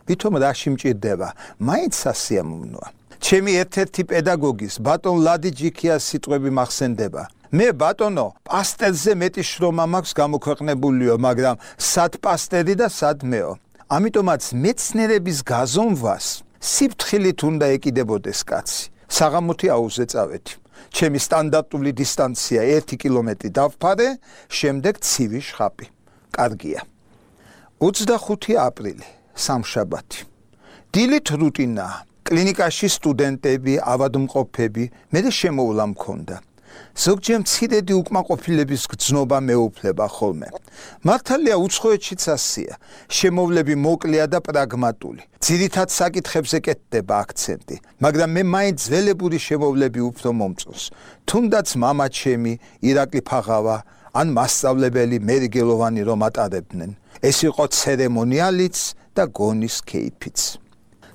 ვითომ რაში მჭირდება, მაინც სასიამოვნოა. ჩემი ერთ-ერთი პედაგოგის, ბატონ ლადი ჯიქიას სიტყვები მახსენდება. მე ბატონო, პასტერზე მეტი შრომა მაქვს გამოქვეყნებულიო, მაგრამ სად პასტერი და სად მეო. ამიტომაც მეცნიერების გაზომვას სიფრთხილით უნდა ეკიდებოდეს კაცი. საღამოთი აუზზე წავედი. ჩემი სტანდარტული დისტანცია ერთი კილომეტრი დავფარე, შემდეგ ცივი შხაპი. კარგია. ოცდახუთი აპრილი, სამშაბათი. დილით რუტინაა. კლინიკაში სტუდენტები, ავადმყოფები, მე შემოვლა მქონდა. ზოგჯერ მცირედი უკმაყოფილების გრძნობა მეუფლება ხოლმე. მართალია უცხოეთშიც ასია, შემოვლები მოკლეა და პრაგმატული. ძირითად საკითხებზე კეთდება აქცენტი, მაგრამ მე მაინც ძველებური შემოვლები უფრო მომწონს. თუნდაც მამა ჩემი, ირაკლი ფაღავა, ან მასწავლებელი მერიგელოვანი რომ ატარებდნენ. ეს იყო ცერემონიალიც და გონის кейფიც.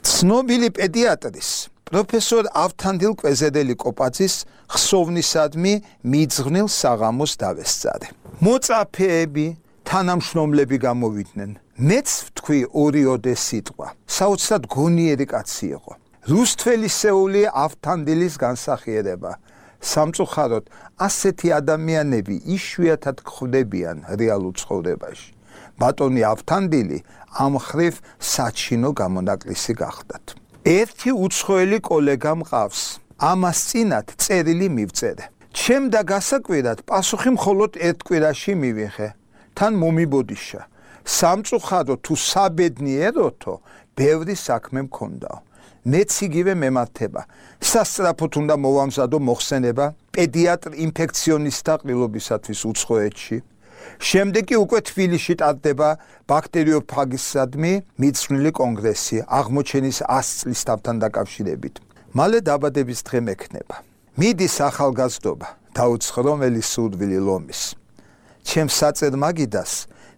ცნობილი პედიატრის პროფესორ ავთანდილ კვეზედელი კოპაძის ხსოვნისადმი მიძღვნილ საღამოს დავესწარე. მოწაფეები, თანამშრომლები გამოვიდნენ. მეც ვთქვი ორიოდე სიტყვა. საოცრად გონიერი კაცი იყო. რუსთველისეული ავთანდილის განსახიერება. სამწუხაროდ, ასეთი ადამიანები იშვიათად გვხვდებიან რეალურ ცხოვრებაში. ბატონი ავთანდილი ამ ხრივ საჩინო გამონაკლისი გახდათ. ერთი უცხოელი კოლეგა მყავს. ამას წინათ წერილი მივწერე. ჩემ და გასაკვირად პასუხი მხოლოდ ერთ კვირაში მივიღე. თან მომიბოდიშა. სამწუხაროდ თუ საბედნიეროთო, ბევრი საქმე მქონდაო. მეც იგივე მემართება. სასწრაფოდ უნდა მოვამზადო მოხსენება პედიატრ ინფექციონისტთა ყრილობისათვის უცხოეთში. შემდეგ კი უკვე თბილისში ტარდება ბაქტერიოფაგისადმი მიძღვნილი კონგრესი აღმოჩენის ას წლის თავთან დაკავშირებით. მალე დაბადების დღე მექნება. მიდის ახალგაზრდობა, დაუცხრომელი სურვილი ლომის. ჩემს საწერ მაგიდას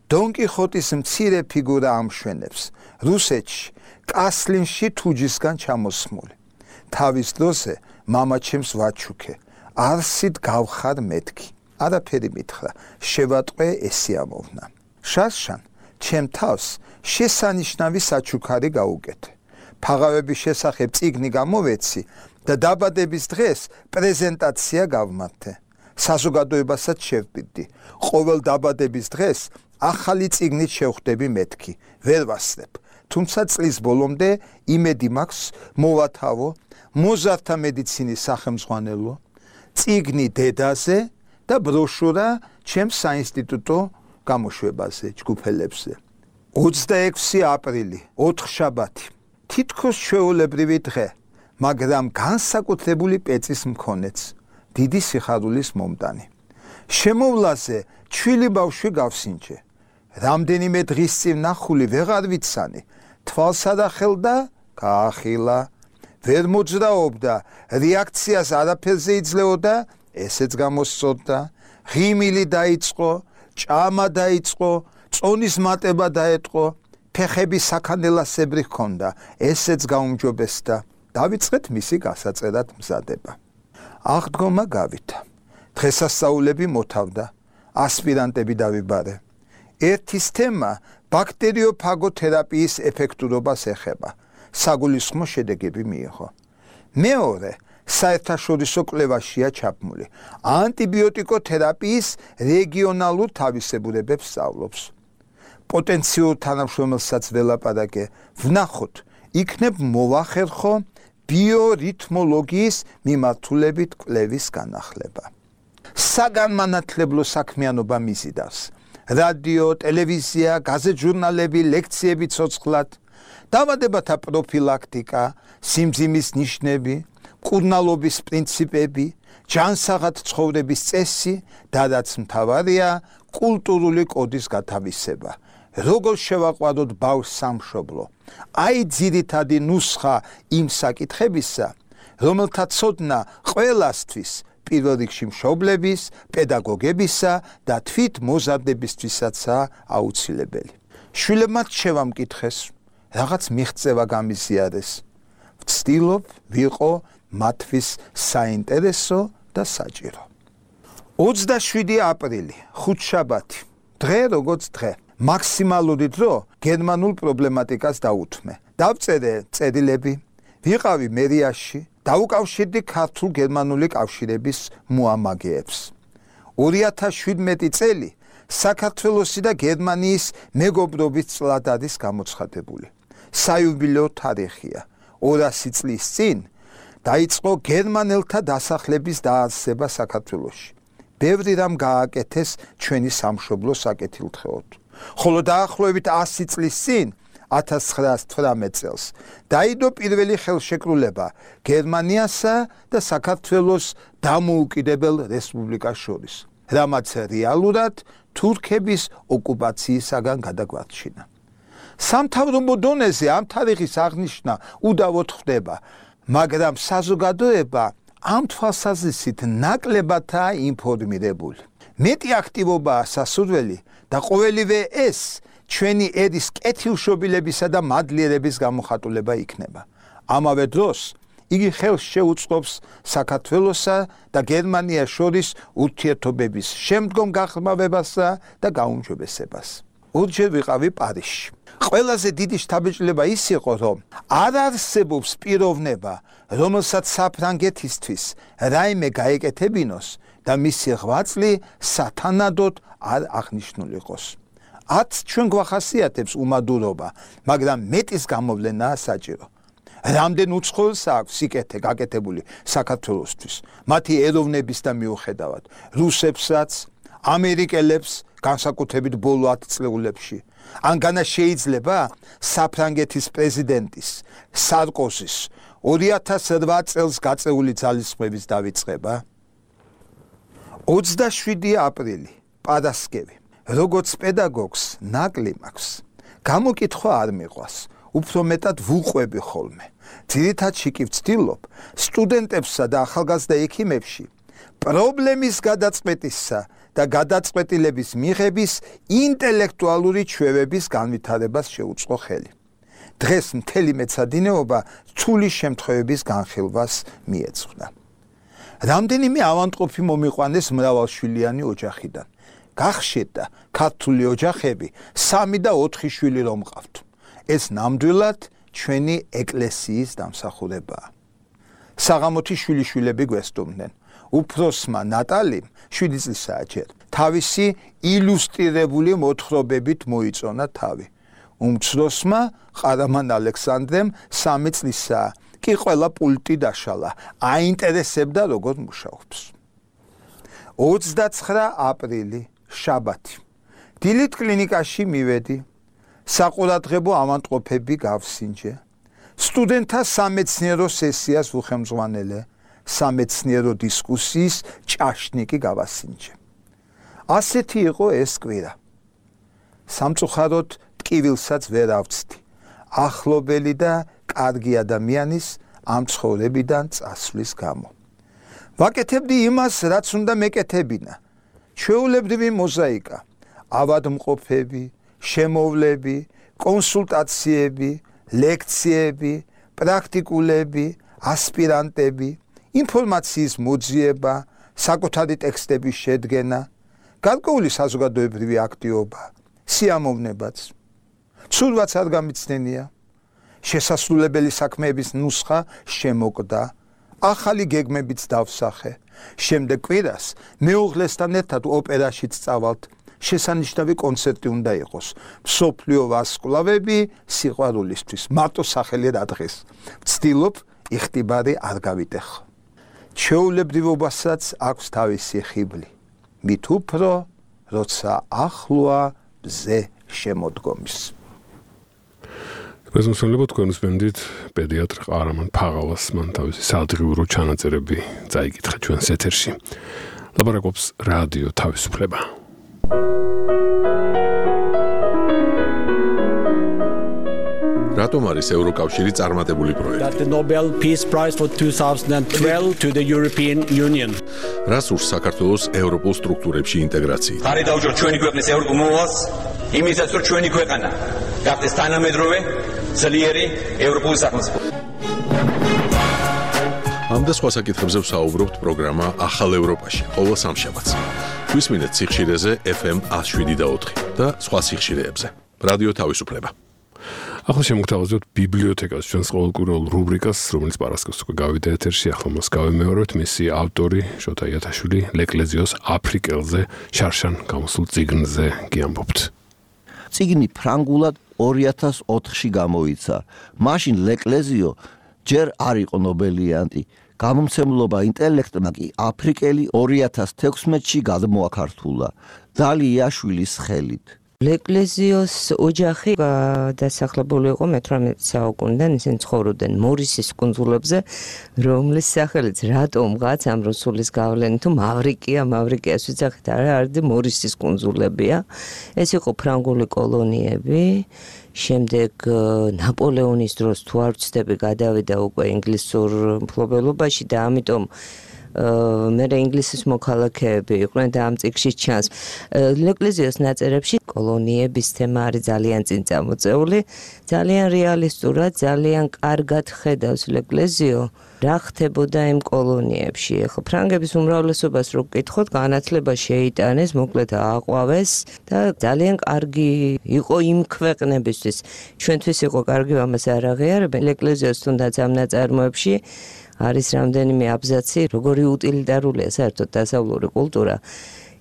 დონ კიხოტის მცირე ფიგურა ამშვენებს, რუსეთში, კასლინში თუჯისგან ჩამოსმული. თავის დროზე მამა ჩემს ვაჩუქე, არსით გავხარ მეთქი. არაფერი მითხრა, შევატყვე ესი ამოვნა. შარშან, ჩემ თავს შესანიშნავი საჩუქარი გაუკეთე. ფაღავების შესახებ წიგნი გამოვეცი და დაბადების დღეს პრეზენტაცია გავმართე. საზოგადოებასაც შევპირდი. ყოველ დაბადების დღეს ახალი წიგნით შევხვდები მეთქი. ვერ ვასწრებ. თუმცა წლის ბოლომდე იმედი მაქვს მოვათავო მოზარდთა მედიცინის სახელმძღვანელო, წიგნი დედაზე და ბროშურა ჩემს საინსტიტუტო გამოშვებაზე, ჯგუფელებზე. ოცდაექვსი აპრილი, ოთხშაბათი. თითქოს ჩვეულებრივი დღე, მაგრამ განსაკუთრებული პეწის მქონეც, დიდი სიხარულის მომტანი. შემოვლაზე ჩვილი ბავშვი გავსინჯე. რამდენიმე დღის წინ ნახული ვეღარ ვიცანი, თვალს ადახელდა, გაახილა. ვერ მოძრაობდა, რეაქციას არაფერზე იძლეოდა, ესეც გამოსწორდა. ღიმილი დაიწყო, ჭამა დაიწყო, წონის მატება დაეტყო, ფეხები საქანელასებრი ჰქონდა, ესეც გაუმჯობესდა. დავიწყეთ მისი გასაწერად მზადება. აღდგომა გავითა. დღესასწაულები მოთავდა, ასპირანტები დავიბარე. ერთის თემა ბაქტერიოფაგოთერაპიის ეფექტურობას ეხება. საგულისხმო შედეგები მიიღო. მეორე საერთაშორისო კვლევაშია ჩაბმული. ანტიბიოტიკოთერაპიის რეგიონალურ თავისებურებებს სწავლობს. პოტენციურ თანამშრომელსაც ველაპარაკე, ვნახოთ, იქნებ მოვახერხო ბიორითმოლოგიის მიმართულებით კვლევის განახლება. საგანმანათლებლო საქმიანობა მიზიდავს. რადიო, ტელევიზია, გაზეთ-ჟურნალები, ლექციები ცოცხლად, დავადებათა პროფილაქტიკა, სიმძიმის ნიშნები, მკურნალობის პრინციპები, ჯანსაღად ცხოვრების წესი და რაც მთავარია, კულტურული კოდის გათავისება. როგორ შევაყვაროთ ბავშვს სამშობლო? აი ძირითადი ნუსხა იმ საკითხებისა, რომელთა ცოდნა ყველასთვის, პირველ რიგში მშობლების, პედაგოგებისა და თვით მოზარდებისთვისაცაა აუცილებელი. შვილებმა შევამკითხეს, რაღაც მიღწევა გამიზიარეს. ვცდილობ ვიყო მათთვის საინტერესო და საჭირო. ოცდაშვიდი აპრილი, ხუთშაბათი. დღე როგორც დღე. მაქსიმალური დრო გერმანულ პრობლემატიკას დაუთმე. დავწერე წერილები, ვიყავი მერიაში, დაუკავშირდი ქართულ-გერმანული კავშირების მოამაგეებს. ორი ათას შვიდმეტი წელი საქართველოსი და გერმანიის მეგობრობის წლად არის გამოცხადებული. საიუბილეო თარიღია. ორასი წლის წინ დაიწყო გერმანელთა დასახლების დაარსება საქართველოში. ბევრი რამ გააკეთეს ჩვენი სამშობლოს საკეთილდღეოდ. ხოლო დაახლოებით ასი წლის წინ ათას ცხრაას თვრამეტ წელს დაიდო პირველი ხელშეკრულება გერმანიასა და საქართველოს დამოუკიდებელ რესპუბლიკას შორის, რამაც რეალურად თურქების ოკუპაციისაგან გადაგვარჩინა. სამთავრობო დონეზე ამ თარიღის აღნიშვნა უდავოდ ხდება, მაგრამ საზოგადოება ამ თვალსაზრისით ნაკლებადაა ინფორმირებული. მეტი აქტივობაა სასურველი და ყოველივე ეს ჩვენი ერის კეთილშობილებისა და მადლიერების გამოხატულება იქნება. ამავე დროს იგი ხელს შეუწყობს საქართველოსა და გერმანიას შორის ურთიერთობების შემდგომ გაღრმავებასა და გაუმჯობესებას. ორჯერ ვიყავი პარიზში. ყველაზე დიდი შთაბეჭდილება ის იყო, რომ არ არსებობს პიროვნება, რომელსაც საფრანგეთისთვის რაიმე გაეკეთებინოს და მისი ღვაწლი სათანადოდ არ აღნიშნულიყოს. ათ ჩვენ გვახასიათებს უმადურობა, მაგრამ მეტის გამოვლენაა საჭირო. რამდენ უცხოელს აქვს სიკეთე გაკეთებული საქართველოსთვის, მათი ეროვნების და მიუხედავად, რუსებსაც, ამერიკელებს, განსაკუთრებით ბოლო ათ წლეულებში. ან განა შეიძლება საფრანგეთის პრეზიდენტის სარკოზის ორი ათას რვა წელს გაწეული ძალისხმების დავიწყება? ოცდაშვიდი აპრილი, პარასკევი. როგორც პედაგოგს ნაკლი მაქვს. გამოკითხვა არ მიყვას, უფრო მეტად ვუყვები ხოლმე. ძირითადში კი ვცდილობ სტუდენტებსა და ახალგაზრდა ექიმებში პრობლემის გადაწყვეტისა და გადაწყვეტილების მიღების ინტელექტუალური ჩვევების განვითარებას შეუწყო ხელი. დღეს მთელი მეცადინეობა რთული შემთხვევების განხილვას მიეძღვნა. რამდენიმე ავანტყოფი მომიყვანეს მრავალშვილიანი ოჯახიდან. გახშედდა ქართული ოჯახები სამი და ოთხი შვილი რომ მყავთ. ეს ნამდვილად ჩვენი ეკლესიის დამსახურებაა. საღამოთი შვილიშვილები გვესტუმდნენ. უფროსმა ნატალიმ შვიდი წლისაა ჯერ. თავისი ილუსტრირებული მოთხრობებით მოიწონა თავი. უმცროსმა ყარამან ალექსანდრემ სამი წლისაა. კი ყველა პულტი დაშალა. აინტერესებდა როგორ მუშაობს. ოცდაცხრა აპრილი შაბათი. დილით კლინიკაში მივედი. საყურადღებო ავანტყოფები გავსინჯე. სტუდენტთა სამეცნიერო სესიას ვუხემძღვანელე. სამეცნიერო დისკუსიის ჭაშნიკი გავასინჯე. ასეთი იყო ეს კვირა. სამწუხაროდ ტკივილსაც ვერ ავწდი. ახლობელი და კარგი ადამიანის ამ ცხოვრებიდან წასვლის გამო. ვაკეთებდი იმას, რაც უნდა მეკეთებინა. ჩვეულებრივი მოზაიკა, ავადმყოფები, შემოვლები, კონსულტაციები, ლექციები, პრაქტიკულები, ასპირანტები, ინფორმაციის მოძიება, საკუთარი ტექსტების შედგენა, გარკვეული საზოგადოებრივი აქტივობა, სიამოვნებაც. ცურვაც არ გამიცდენია. შესასრულებელი საქმეების ნუსხა შემოკვდა, ახალი გეგმებიც დავსახე. შემდეგ კვირას მეუღლესთან ერთად ოპერაშიც წავალთ. შესანიშნავი კონცერტი უნდა იყოს. მსოფლიო ვარსკვლავები სიყვარულისთვის. მარტო სახელი რა დღეს. ვცდილობ იხტიბარი არ გავიტეხო. ჩვეულებრივობასაც აქვს თავისი ხიბლი. მით უფრო, როცა ახლოა ბზე შემოდგომის. მეზონსონლებო თქვენ უსმენდით პედიატრ ყარამან ფაღავას, მან თავისი საადღიურო ჩანაწერები წაიკითხა ჩვენს ეთერში. ლაპარაკობს რადიო თავისუფლება. რატომ არის ევროკავშირი წარმატებული პროექტი? That the Nobel Peace Prize for twenty twelve to the European Union. რას ურს საქართველოს ევროპულ სტრუქტურებში ინტეგრაციით? ხარი დაუჯეროთ ჩვენი ქვეყნის ევროპულ მოვალს, იმისაც რომ ჩვენი ქვეყანა გახდეს თანამედროვე, ძლიერი ევროპული სახელმწიფო. ამ და სხვა საკითხებზე ვსაუბრობთ პროგრამა ახალ ევროპაში, ყოველ სამშაბათს. გვისმინეთ სიხშირეზე ეფ ემ one oh seven და ოთხი და სხვა სიხშირეებზე. რადიო თავისუფლება. ახლა შემოგთავაზებთ ბიბლიოთეკას, ჩვენს ყოველკვირეულ რუბრიკას, რომელიც პარასკევს უკვე გავიდა ეთერში, ახლა მას გავიმეორებთ. მისი ავტორი შოთა იათაშვილი ლეკლეზიოს აფრიკელზე, შარშან გამოსულ წიგნზე გიამბობთ. წიგნი ფრანგულად ორი ათას ოთხში გამოიცა. მაშინ ლეკლეზიო ჯერ არ იყო ნობელიანტი. გამომცემლობა ინტელექტმა კი აფრიკელი ორი ათას თექვსმეტში გადმოაქართულა დალი იაშვილის ხელით. ლეკლეზიოს ოჯახი დასახლებული იყო მეთვრამეტ საუკუნიდან, ისინი ცხოვრობდნენ მორისის კუნძულებზე, რომლის სახელიც რატომღაც ამ რუსულის გავლენით თუ მავრიკია, მავრიკიას ვიძახით, არა, არის მორისის კუნძულებია. ეს იყო ფრანგული კოლონიები. შემდეგ ნაპოლეონის დროს თუ არ ვცდები გადავიდა უკვე ინგლისურ მფლობელობაში და ამიტომ მე ინგლისის მოქალაქეები იყვნენ და ამ წიგნში ჩანს. ლეკლეზიოს ნაწერებში კოლონიების თემა არის ძალიან წინ წამოწეული, ძალიან რეალისტურად, ძალიან კარგად ხედავს ლეკლეზიო რა ხდებოდა იმ კოლონიებში. ახლა ფრანგების უმრავლესობას რო გკითხოთ, განათლება შეიტანეს, მოკლედ ააყვავეს და ძალიან კარგი იყო იმ ქვეყნებისთვის. ჩვენთვის იყო კარგი, ამას არ აღიარებენ. ლეკლეზიოს თუნდაც ამ ნაწარმოებში არის რამდენიმე აბზაცი, როგორი უტილიტარულია საერთოდ დასავლური კულტურა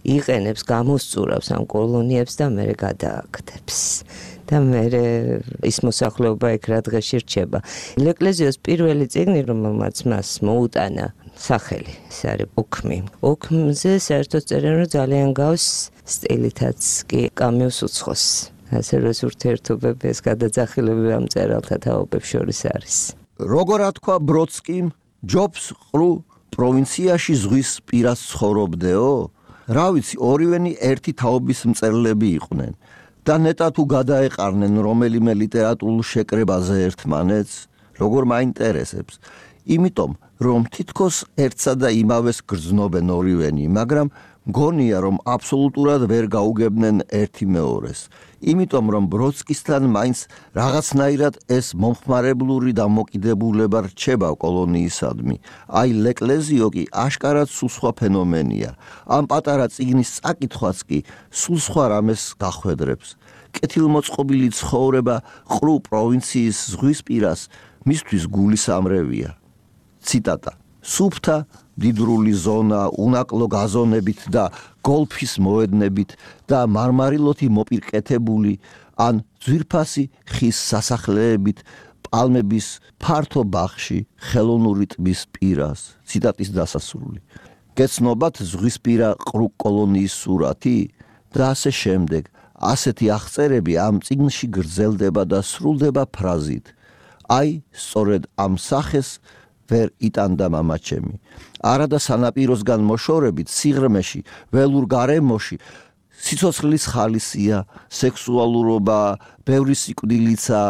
იყენებს, გამოსწურავს ამ კოლონიებს და მერე გადააქცევს. და მერე ის მოსახლეობა იქ რა დღეში რჩება. ლეკლეზიოს პირველი წიგნი, რომელმაც მას მოუტანა სახელი, ეს არის ოქმი. ოქმზე საერთოდ წერენ, რომ ძალიან გავს სტილითაც კი კამიუს უცხოს. ასე რომ ურთიერთობები, ეს გადაძახილებები ამ წერალთა თაობებს შორის არის. როგორ ათქვა ბროდსკიმ, ჯობს ყრუ პროვინციაში ზღვის პირას ცხოვრობდეო? რა ვიცი, ორივენი ერთი თაობის მწერლები იყვნენ და ნეტა თუ გადაეყარნენ რომელიმე ლიტერატურულ შეკრებაზე ერთმანეთს, როგორ მაინტერესებს. იმიტომ, რომ თითქოს ერთსა და იმავეს გრძნობენ ორივენი, მაგრამ მგონია, რომ აბსოლუტურად ვერ გაუგებდნენ ერთი მეორეს. იმიტომ, რომ ბროდსკისთან მაინც რაღაცნაირად ეს მომხმარებლური დამოკიდებულება რჩება კოლონიისადმი. აი, ლეკლეზიო კი აშკარად სულ სხვა ფენომენია. ამ პატარა წიგნის წაკითხვაც კი სულ სხვა რამეს გახვედრებს. კეთილმოწყობილი ცხოვრება ყრუ პროვინციის ზღვისპირას მისთვის გულისამრევია. ციტატა. სუფთა დიდრული ზონა, უნაკლო გაზონებით და გოლფის მოედნებით და მარმარილოთი მოპირკეთებული ან ძვირფასი ხის სასახლეებით პალმების ფართო ბაღში ხელოვნური ტბის პირას. ციტატის დასასრული. გეცნობათ ზღვისპირა ყრუ კოლონიის სურათი და ასე შემდეგ. ასეთი აღწერები ამ წიგნში გრძელდება და სრულდება ფრაზით. აი, სწორედ ამ სახეს ვერ იტანდა მამაჩემი. არადა სანაპიროსგან მოშორებით სიღრმეში, ველურ გარემოში, სიცოცხლის ხალისია, სექსუალურობა, ბევრი სიკვდილიცა,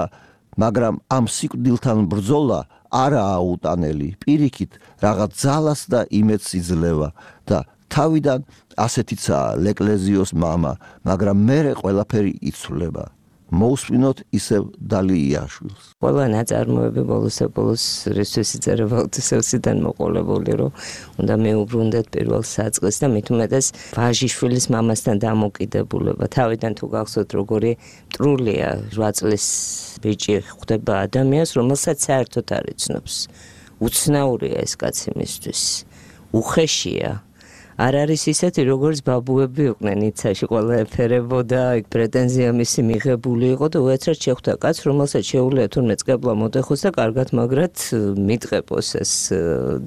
მაგრამ ამ სიკვდილთან ბრძოლა არაა უტანელი. პირიქით, რაღაც ძალას და იმედს იძლევა და თავიდან ასეთიცაა ლეკლეზიოს მამა, მაგრამ მერე ყველაფერი იცვლება. მოусმინოთ ისევ დალიაშვილს. ყველა ნაწარმოები ბოლოს-ბოლოს რისთვის იწერება უთისევსიდან მოყოლებული, რომ უნდა მეუბრუნდეთ პირველ საწყისს და მით უმეტეს ვაჟიშვილის მამასთან დამოკიდებულება. თავიდან თუ გახსოვთ, როგორი მტრულია რვა წლის ბიჭი ხვდება ადამიანს, რომელსაც საერთოდ არ იცნობს. უცნაურია ეს კაცი მისთვის. უხეშია. არ არის ისეთი, როგორც ბაბუები იყვნენ იცაში, ყველა ეფერებოდა, იქ პრეტენზია მისი მიღებული იყო და უეცრად შეხვდა კაც, რომელსაც შეუძლია თურმე წყებლა მოდეხოს და კარგად მაგრად მიტყეპოს ეს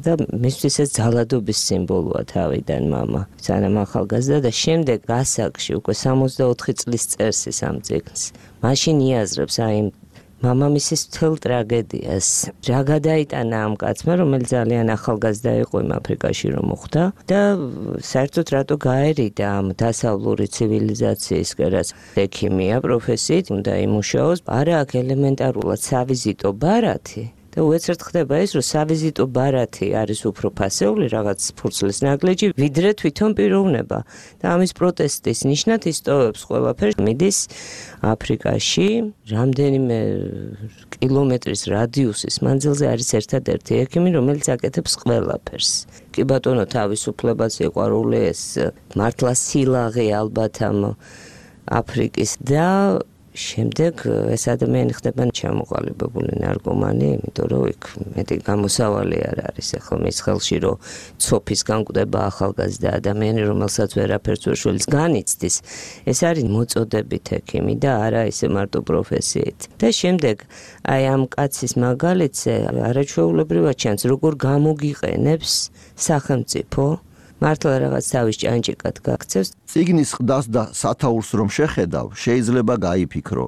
და მისთვის ეს ძალადობის სიმბოლოა თავიდან მამა. სანამ ახალგაზრდა და შემდეგ გასაგში უკვე სამოცდაოთხი წლის წერს ის ამ წიგნს. მაშინ იაზრებს აი მამამისის მთელ ტრაგედიას. რა გადაიტანა ამ კაცმა, რომელიც ძალიან ახალგაზრდა იყო იმ აფრიკაში რომ მოხვდა და საერთოდ რატო გაერიდა ამ დასავლური ცივილიზაციისკენ, რაც ექიმია პროფესიით უნდა იმუშაოს, არა აქ ელემენტარულად სავიზიტო ბარათი. და უეცრად ხდება ის, რომ სავიზიტო ბარათი არის უფრო ფასეული რაღაც ფურცლის ნაგლეჯი, ვიდრე თვითონ პიროვნება. და ამის პროტესტის ნიშნად ისტოვებს ყველაფერს, მიდის აფრიკაში, რამდენიმე კილომეტრის რადიუსის მანძილზე არის ერთადერთი ექიმი, რომელიც აკეთებს ყველაფერს. კი ბატონო, თავისუფლებას სიყვარული ეს მართლა სილაღე ალბათ ამ აფრიკის და შემდეგ ეს ადამიანი ხდება ჩამოყალიბებული ნარკომანი, იმიტომ რომ იქ მეტი გამოსავალი არ არის ახლა მის ხელში, რომ ცოფის განკვდება ახალგაზრდა ადამიანი, რომელსაც ვერაფერს ვერ შველის განიცდის. ეს არის მოწოდებით ექიმი და არა ისე მარტო პროფესიით. და შემდეგ აი ამ კაცის მაგალითზე არაჩვეულებრივად ჩანს, როგორ გამოგიყენებს სახელმწიფო მართლა რაღაც თავის ჭანჭიკად გაქცევს. წიგნის ყდას და სათაურს რომ შეხედავ, შეიძლება გაიფიქრო.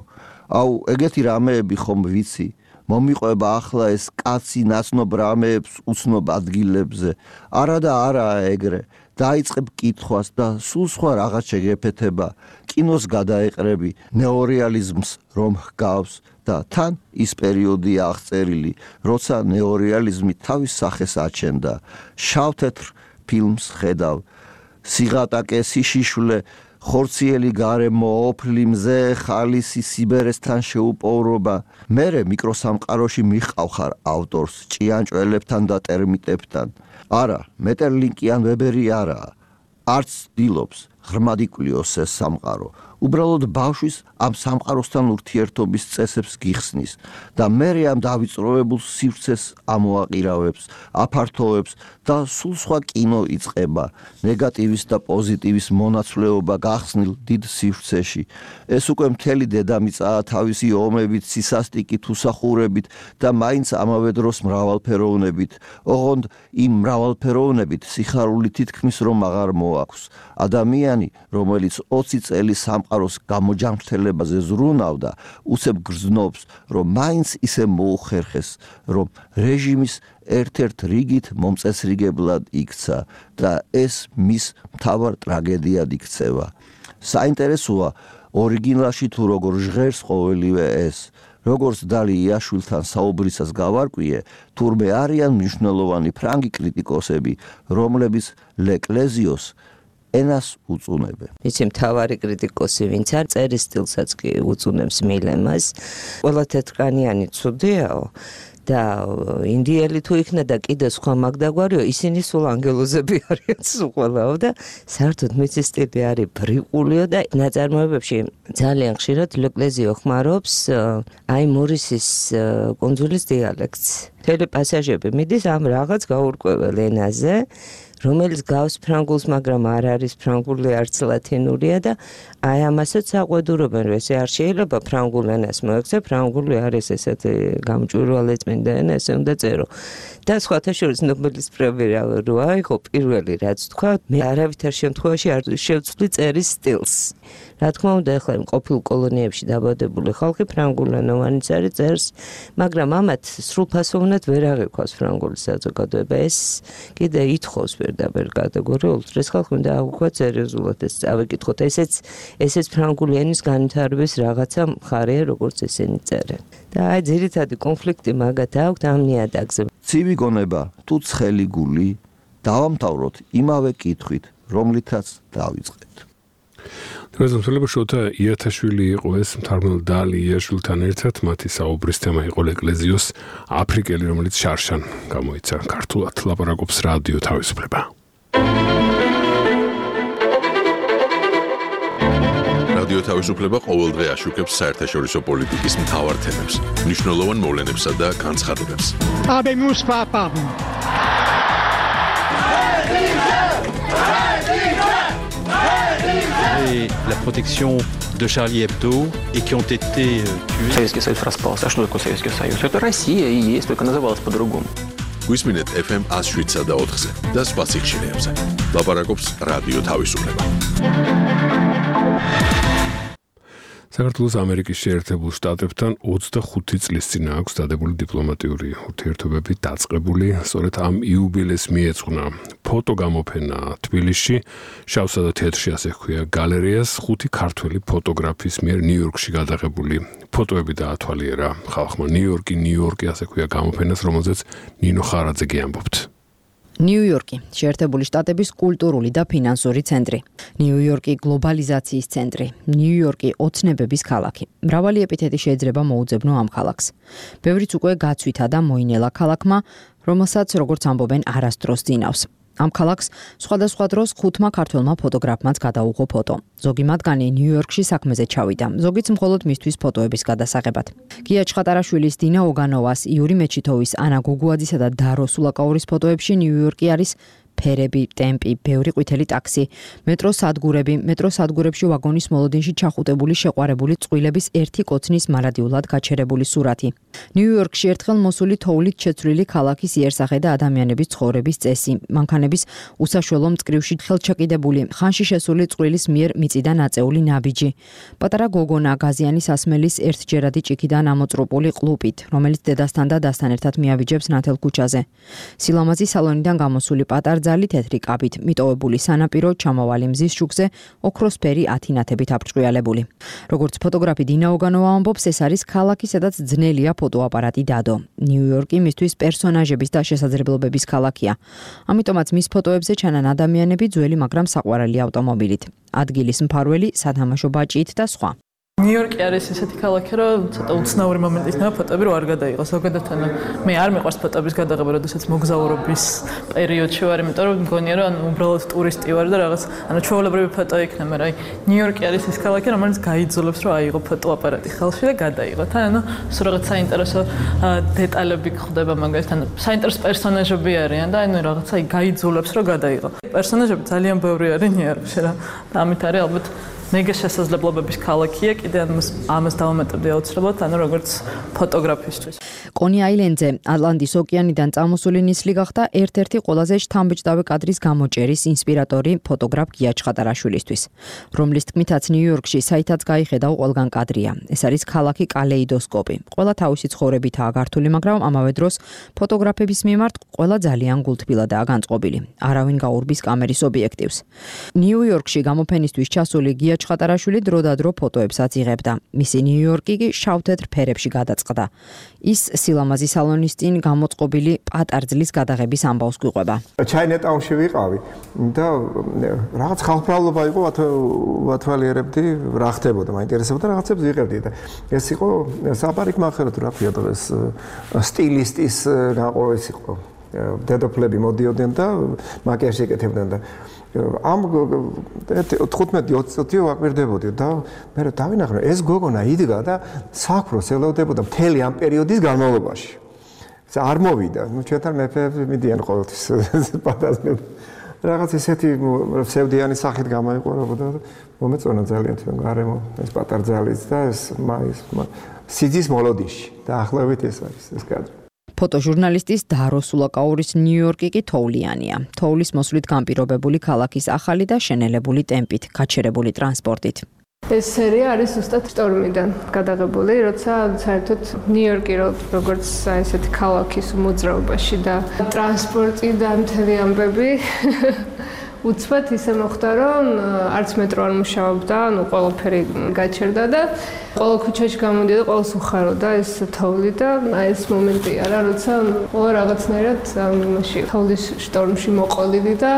აუ, ეგეთი რამეები ხომ ვიცი? მომიყვება ახლა ეს კაცი ნაცნობ რამეებს უცნობ ადგილებზე. არა და არაა ეგრე. დაიწყებ კითხვას და სულ სხვა რაღაც შეგეფეთება. კინოს გადაეყრები, ნეორეალიზმს რომ ჰგავს და თან ის პერიოდია აღწერილი, როცა ნეორეალიზმი თავის სახეს აჩენდა. შავთეთრ ფილმს ხედავ. სიღატაკე, სიშიშვლე, ხორციელი გარემო, ოფლი მზე, ხალისი, სიბერესთან შეუპოვრობა. მერე მიკროსამყაროში მიხავხარ ავტორს ჭიანჭველებთან და ტერმიტებთან. არა, მეტერლინკი ან ვებერი არაა. არც დილობს ღრმად იკვლიოს ეს სამყარო. უბრალოდ ბავშვის ამ სამყაროსთან ურთიერთობის წესებს გიხსნის და მერე ამ დავიწროვებულ სივრცეს ამოაყირავებს, აფართოვებს და სულ სხვა კინო იწყება, ნეგატივის და პოზიტივის მონაცვლეობა გახსნილ დიდ სივრცეში. ეს უკვე მთელი დედამიწაა თავისი ომებით, სისასტიკით, უსახურებით და მაინც ამავე დროს მრავალფეროვნებით. ოღონდ იმ მრავალფეროვნებით სიხარული თითქმის რომ აღარ მოაქვს. ადამიანი, რომელიც ოცი წელი სამ სამყაროს გამოჯამრთელებაზე ზრუნავდა, უცებ გრძნობს, რომ მაინც ისე მოუხერხეს, რომ რეჟიმის ერთ-ერთ რიგით მომწესრიგებლად იქცა და ეს მის მთავარ ტრაგედიად იქცევა. საინტერესოა ორიგინალში თუ როგორ ჟღერს ყოველივე ეს, როგორც დალი იაშვილთან საუბრისას გავარკვიე, თურმე არიან მნიშვნელოვანი ფრანგი კრიტიკოსები, რომლებიც ლეკლეზიოს ენას უწუნებენ. იცი მთავარი კრიტიკოსი ვინც არ წერის სტილსაც კი უწუნებს მილემას. ყველა თეთრკანიანი ცუდიაო და ინდიელი თუ იქნა და კიდე სხვა მაგდაგვარიო, ისინი სულ ანგელოზები არიან სულ ყველაო და საერთოდ მისი სტილი არის ბრიყულიო და ნაწარმოებებში ძალიან ხშირად ლეკლეზიო ხმარობს აი მორისის კუნძულის დიალექტს. მთელი პასაჟები მიდის ამ რაღაც გაურკვეველ ენაზე, რომელიც გავს ფრანგულს, მაგრამ არ არის ფრანგული, არც ლათინურია და აი ამასაც აყვედურობენ, რომ ესე არ შეიძლება ფრანგულ ენას მოექცე, ფრანგული არის ესეთი გამჭვირვალე წმინდა ენა, ესე უნდა წერო. და სხვათა შორის ნობელის პრემია რო აიღო პირველი რაც თქვა, მე არავითარ შემთხვევაში არ შევცვლი წერის სტილს. რა თქმა უნდა, ახლა ყოფილ კოლონიებში დაბადებული ხალხი ფრანგულენოვანიც არის წერს, მაგრამ ამათ სრულფასოვნად ვერ აღიქვას ფრანგული საზოგადოება. ეს კიდე ითხოვს პირდაპირ კატეგორიულად, ეს ხალხი უნდა აღვქვათ სერიოზულად ეს წავიკითხოთ. ესეც ესეც ფრანგული ენის განვითარების რაღაცა მხარეა, როგორც ესენი წერენ. და აი ძირითადი კონფლიქტი მაგათ აქვთ ამ ნიადაგზე. ცივი გონება თუ ცხელი გული, დავამთავროთ იმავე კითხვით, რომლითაც დავიწყეთ. რეზოლუცია შოთა იათაშვილი იყო ეს მთარგმნელ დალი იაშვილთან ერთად, მათი საუბრის თემა იყო ეკლეზიოს აფრიკელი, რომელიც შარშან გამოიცა ქართულად. ლაპარაკობს რადიო თავისუფლება. რადიო თავისუფლება ყოველდღე აშუქებს საერთაშორისო პოლიტიკის მთავარ თემებს, მნიშვნელოვან მოვლენებსა და განცხადებებს. Habemus papam. Et la protection de Charlie Hebdo et qui ont été tués. Советский Союз распался. А что такое Советский Союз? Это Россия и есть, только называлась по-другому. გვისმინეთ эф эм one oh seven და ოთხზე და სხვა სიხშირეებზე. ლაპარაკობს რადიო თავისუფლება. საქართველოს ამერიკის შეერთებულ შტატებთან ოცდახუთი წლის წინ აქვს დადებული დიპლომატიური ურთიერთობები დაწყებული. სწორედ ამ იუბილეს მიეძღვნა ფოტოგამოფენა თბილისში, შავსა და თეთრში ასე ჰქვია გალერეას, ხუთი ქართველი ფოტოგრაფის მიერ ნიუ-იორკში გადაღებული ფოტოები დაათვალიერა ხალხმა. ნიუ-იორკი, ნიუ-იორკი ასე ჰქვია გამოფენას, რომელზეც ნინო ხარაძე გიამბობთ. ნიუ-იორკი, შეერთებული შტატების კულტურული და ფინანსური ცენტრი. ნიუ-იორკი გლობალიზაციის ცენტრი. ნიუ-იორკი ოცნებების ქალაქი. მრავალი ეპითეტი შეიძლება მოუძებნო ამ ქალაქს. ბევრიც უკვე გაცვითა და მოინელა ქალაქმა, რომელსაც როგორც ამბობენ არასდროს ძინავს. ამ ქალაქს სხვადასხვა დროს ხუთმა ქართველმა ფოტოგრაფმაც გადაუღო ფოტო. ზოგი მათგანი ნიუ-იორკში საქმეზე ჩავიდა, ზოგიც მხოლოდ მისთვის ფოტოების გადასაღებად. გია ჩხატარაშვილის, დინა ოგანოვას, იური მეჩითოვის, ანა გუგუაძისა და დარო სულაკაურის ფოტოებში ნიუ-იორკი არის ფერები, ტემპი, ბევრი ყვითელი ტაქსი, მეტროს სადგურები, მეტროს სადგურებში ვაგონის მოლოდინში ჩახუტებული შეყვარებული წყვილების ერთი კოცნის მარადიულად გაჩერებული სურათი. ნიუ-იორკში ერთხელ მოსული თოვლით შეცვლილი ქალაქის იერსახე და ადამიანების ცხოვრების წესი, მანქანების უსაშველო მწკრივში ხელჩაკიდებული, ხანში შესული წყვილის მიერ მიწიდან აწეული ნაბიჯი. პატარა გოგონა გაზიანის ასმელის ერთჯერადი ჭიქიდან ამოწრუპული ყლუპით, რომელიც დედასთან და დასთან ერთად მიაბიჯებს ნათელ ქუჩაზე. სილამაზი სალონიდან გამოსული პატარ ძალი თეთრი კაბით, მიტოვებული სანაპირო, ჩამავალი მზის შუქზე, ოქროსფერი ათინათებით აფრჭყიალებული. როგორც ფოტოგრაფი დინა ოგანოვა ამბობს, ეს არის ქალაქი, სადაც ძნელია ფოტოაპარატი დადო. ნიუ-იორკი მისთვის პერსონაჟების და შესაძლებლობების ქალაქია. ამიტომაც მის ფოტოებზე ჩანან ადამიანები ძველი, მაგრამ საყვარელი ავტომობილით. ადგილის მფარველი, სათამაშო ბაჭით და სხვა. ნიუ-იორკი არის ესეთი ქალაქი, რომ ცოტა უცნაური მომენტი იქნება ფოტოები რო არ გადაიღო. ზოგადად მე არ მიყვარს ფოტოების გადაღება, როდესაც მოგზაურობის პერიოდში ვარ, იმიტომ რომ მგონია რომ ანუ უბრალოდ ტურისტი ვარ და რაღაც ანუ ჩვეულებრივი ფოტო იქნება, მაგრამ აი ნიუ-იორკი არის ეს ქალაქი, რომელიც გაიძულებს რომ აიღო ფოტოაპარატი ხალხში და გადაიღოთ. ანუ სულ რაღაც საინტერესო დეტალები გვხვდება მაგალითად, ანუ საინტერესო პერსონაჟები არიან და ანუ რაღაცა გაიძულებს რომ გადაიღო. პერსონაჟები ძალიან ბევრი არის ნიუ-იორკში რა. და ამით არის ალბათ მეგა შესაძლებლობების ქალაქია, კიდე ამას დავამატებდი აუცილებლად, ანუ როგორც ფოტოგრაფისტვის. კონი აილენდზე ატლანტის ოკეანიდან წამოსული ნისლი გახდა ერთ-ერთი ყველაზე შთამბეჭდავი კადრის გამოჭერის ინსპირატორი ფოტოგრაფ გია ჩხატარაშვილისთვის, რომლის თქმითაც ნიუ-იორკში საითაც გაიხედა ყველგან კადრია. ეს არის ქალაქი კალეიდოსკოპი. ყველა თავისი ცხოვრებითაა გართული, მაგრამ ამავე დროს ფოტოგრაფების მიმართ ყველა ძალიან გულთბილადაა განწყობილი. არავინ გაურბის კამერის ობიექტივს. ნიუ-იორკში გამოფენისთვის ჩასული გია ჩხატარაშვილი დროდადრო ფოტოებსაც იღებდა. მისი ნიუ-იორკი კი შავ-თეთრ ფერებში გადაწყდა. ის სილამაზის სალონის წინ გამოწყობილი პატარძლის გადაღების ამბავს გვიყვება. ჩაინეტაუნში ვიყავი და რაღაც ხალხმრავლობა იყო, ვათვალიერებდი, რა ხდებოდა, მაინტერესებოდა, რაღაცებს ვიღებდი და ეს იყო საპარიკმახერო თუ რა ქვია დღეს სტილისტის გაყო ეს იყო. დედოფლები მოდიოდნენ და მაკიაჟი ეკეთებდნენ და ამ თხუთმეტი ოცი წუთი ვაკვირდებოდი და მე დავინახე ეს გოგონა იდგა და საქმროს ელოდებოდა მთელი ამ პერიოდის განმავლობაში. არ მოვიდა, ნუ ჩვენთან მეფეები მიდიან ყოველთვის პატაზმები. რაღაც ესეთი ფსევდიანი სახით გამოიყურებოდა და მომეწონა ძალიან თქვენ გარემო ეს პატარძალიც და ეს მაის სიძის მოლოდიში და ახლავით ეს არის ეს კადრი. ფოტოჟურნალისტის დარო სულაკაურის ნიუ-იორკი კი თოვლიანია. თოვლის მოსვლით განპირობებული ქალაქის ახალი და შენელებული ტემპით, გაჩერებული ტრანსპორტით. ეს სერია არის ზუსტად შტორმიდან გადაღებული, როცა საერთოდ ნიუ-იორკი როგორც ესეთი ქალაქის მოძრაობაში და ტრანსპორტი და მთელი ამბები უცბად ისე მოხდა, რომ არც მეტრო არ მუშაობდა, ანუ ყველაფერი გაჩერდა და ყველა ქუჩაში გამოდიოდა, ყველას უხაროდა ეს თოვლი და აი ეს მომენტია რა, როცა ყველა რაღაცნაირად ამაში თოვლის შტორმში მოყოლილი და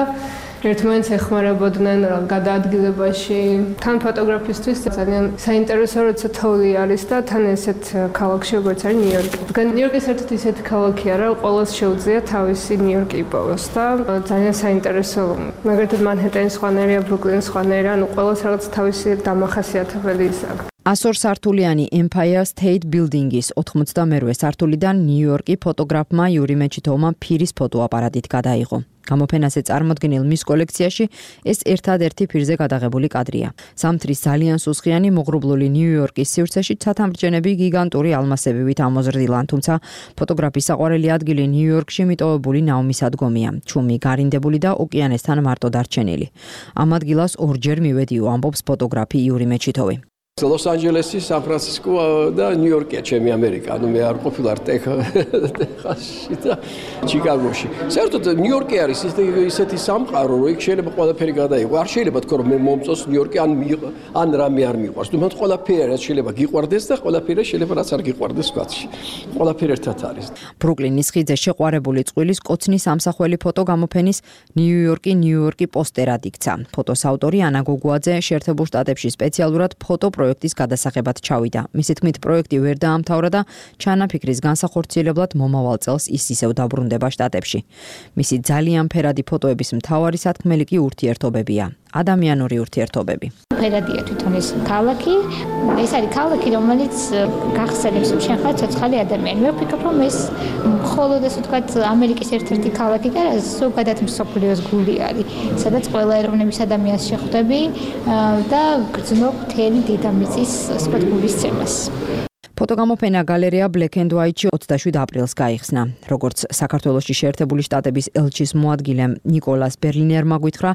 ერთმანეთს ეხმარებოდნენ გადაადგილებაში. თან ფოტოგრაფისტვის ძალიან საინტერესო როცა თოვლი არის და თან ესეთ ქალაქში როგორც არის ნიუ-იორკი. ნიუ-იორკი საერთოდ ისეთი ქალაქია რა, ყველას შეუძლია თავისი ნიუ-იორკი იპოვოს და ძალიან საინტერესო. მაგალითად მანჰეტენის სხვანაირია, ბრუკლინის სხვანაირია, ანუ ყველას რაღაც თავისი დამახასიათებელი ის აქვს. ასორ სართულიანი Empire State Building-ის ოთხმოცდამერვე სართულიდან ნიუ-იორკი ფოტოგრაფმა იური მეჩითოვმა ფირის ფოტოაპარატით გადაიღო. გამოფენაზე წარმოდგენილ მის კოლექციაში ეს ერთადერთი ფირზე გადაღებული კადრია. ზამთრის ძალიან სუსხიანი მოღრუბლული ნიუ-იორკის სივრცეში ცათამბჯენები გიგანტური ალმასებივით ამოზრდილან, თუმცა ფოტოგრაფის საყვარელი ადგილი ნიუ-იორკში მიტოვებული ნაუმისადგომია, ჩუმი გარინდებული და ოკეანესთან მარტო დარჩენილი. ამ ადგილას ორჯერ მივედიო, ამბობს ფოტოგრაფი იური მეჩითოვი. ლოს-ანჯელესი, სან-ფრანცისკო და ნიუ-იორკია ჩემი ამერიკა. ანუ მე არ ყოფილვარ ტეხასში და ჩიკაგოში. საერთოდ ნიუ-იორკი არის ისეთი სამყარო, რომ იქ შეიძლება ყველაფერი გადაიღო. არ შეიძლება თქო რომ მე მომწონს ნიუ-იორკი ან ან რამე არ მიყვარს. თუმცა ყველაფერი რაც შეიძლება გიყვარდეს და ყველაფერი შეიძლება რაც არ გიყვარდეს ვთქვათ. ყველაფერი ერთად არის. ბრუკლინის ხიდზე შეყვარებული წყვილის კოცნის ამსახველი ფოტო გამოფენის ნიუ-იორკი ნიუ-იორკი პოსტერად იქცა. ფოტოს ავტორი ანა გოგუაძე შეერთებულ შტატებში სპეციალურად ფოტო პროექტის გადასაღებად ჩავიდა. მისი თქმით, პროექტი ვერ დაამთავრა და ჩანაფიქრის განსახორციელებლად მომავალ წელს ის ისევ დაბრუნდება შტატებში. მისი ძალიან ფერადი ფოტოების მთავარი სათქმელი კი ურთიერთობებია. ადამიანური ურთიერთობები. ფერადია თვითონ ეს ქალაქი, ეს არის ქალაქი, რომელიც გახსენებს, რომ შენ ხარ ცოცხალი ადამიანი. მე ვფიქრობ, რომ ეს მხოლოდ ეს ვთქვათ ამერიკის ერთ-ერთი ქალაქი და ზოგადად მსოფლიოს გული არის, სადაც ყველა ეროვნების ადამიანს შეხვდები და გრძნობ მთელი დედამიწის ვთქვათ გულისცემას. ფოტოგამოფენა გალერეა Black and White-ში ოცდაშვიდ აპრილს გაიხსნა. როგორც საქართველოში შეერთებული შტატების ელჩის მოადგილე ნიკოლას ბერლინერმა გვითხრა,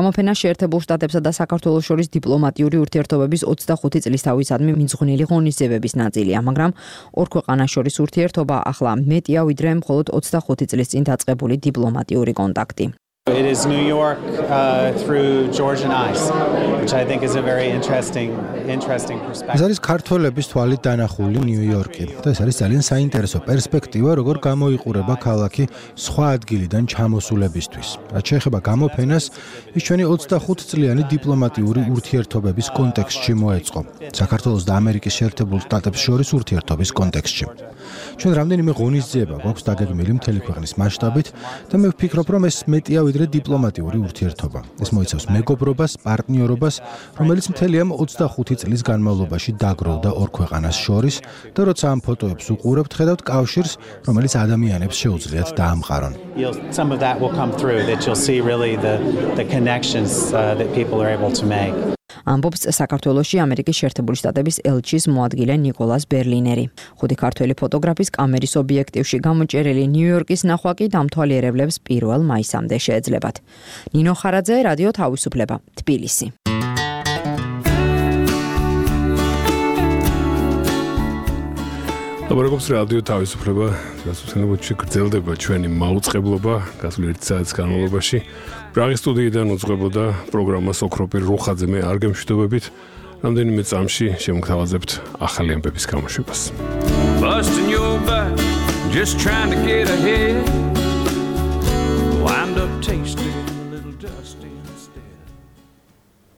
გამოფენა შეერთებულ შტატებსა და საქართველოს შორის დიპლომატიური ურთიერთობების ოცდახუთი წლისთავისადმი მიძღვნილი ღონისძიებების ნაწილია, მაგრამ ორ ქვეყანას შორის ურთიერთობა ახლა მეტია ვიდრე მხოლოდ ოცდახუთი წლის წინ დაწყებული დიპლომატიური კონტაქტი. It is New York uh, through Georgian eyes, which I think is a very interesting, interesting perspective. ეს არის ქართველების თვალით დანახული ნიუ-იორკი და ეს არის ძალიან საინტერესო პერსპექტივა, როგორ გამოიყურება ქალაქი სხვა ადგილიდან ჩამოსულებისთვის. რაც შეეხება გამოფენას, ის ჩვენი ოცდახუთ წლიანი დიპლომატიური ურთიერთობების კონტექსტში მოეწყო. საქართველოს და ამერიკის შეერთებულ შტატებს შორის ურთიერთობის კონტექსტში. ჩვენ რამდენიმე ღონისძიება გვაქვს დაგეგმილი მთელი ქვეყნის მასშტაბით და მე ვფიქრობ, რომ ეს მეტია ვიდრე დიპლომატიური ურთიერთობა. ეს მოიცავს მეგობრობას, პარტნიორობას, რომელიც მთელი ამ ოცდახუთი წლის განმავლობაში დაგროვდა ორ ქვეყანას შორის და როცა ამ ფოტოებს უყურებთ, ხედავთ კავშირს, რომელიც ადამიანებს შეუძლიათ დაამყარონ. Some of that will come through that you'll see really the the connections uh, that people are able to make. ამბობს საქართველოში ამერიკის შეერთებული შტატების ელჩის მოადგილე ნიკოლას ბერლინერი. ხუთი ქართველი ფოტოგრაფის კამერის ობიექტივში გამოჭერილი ნიუ-იორკის ნახვა კი დამთვალიერებლებს პირველ მაისამდე შეეძლებათ. ნინო ხარაძე, რადიო თავისუფლება, თბილისი. ლაბორატორიის რადიო თავისუფლება გასულთნებაში გრძელდება ჩვენი მაუწყებლობა გასულ ერთი საათის განმავლობაში. პრაღის სტუდიიდან უძღვებოდა პროგრამას ოქროპირ რუხაძე, მე არ გემშვიდობებით. რამდენიმე წამში შემოგთავაზებთ ახალი ამბების გამოშვებას. Busting your back, just trying to get ahead.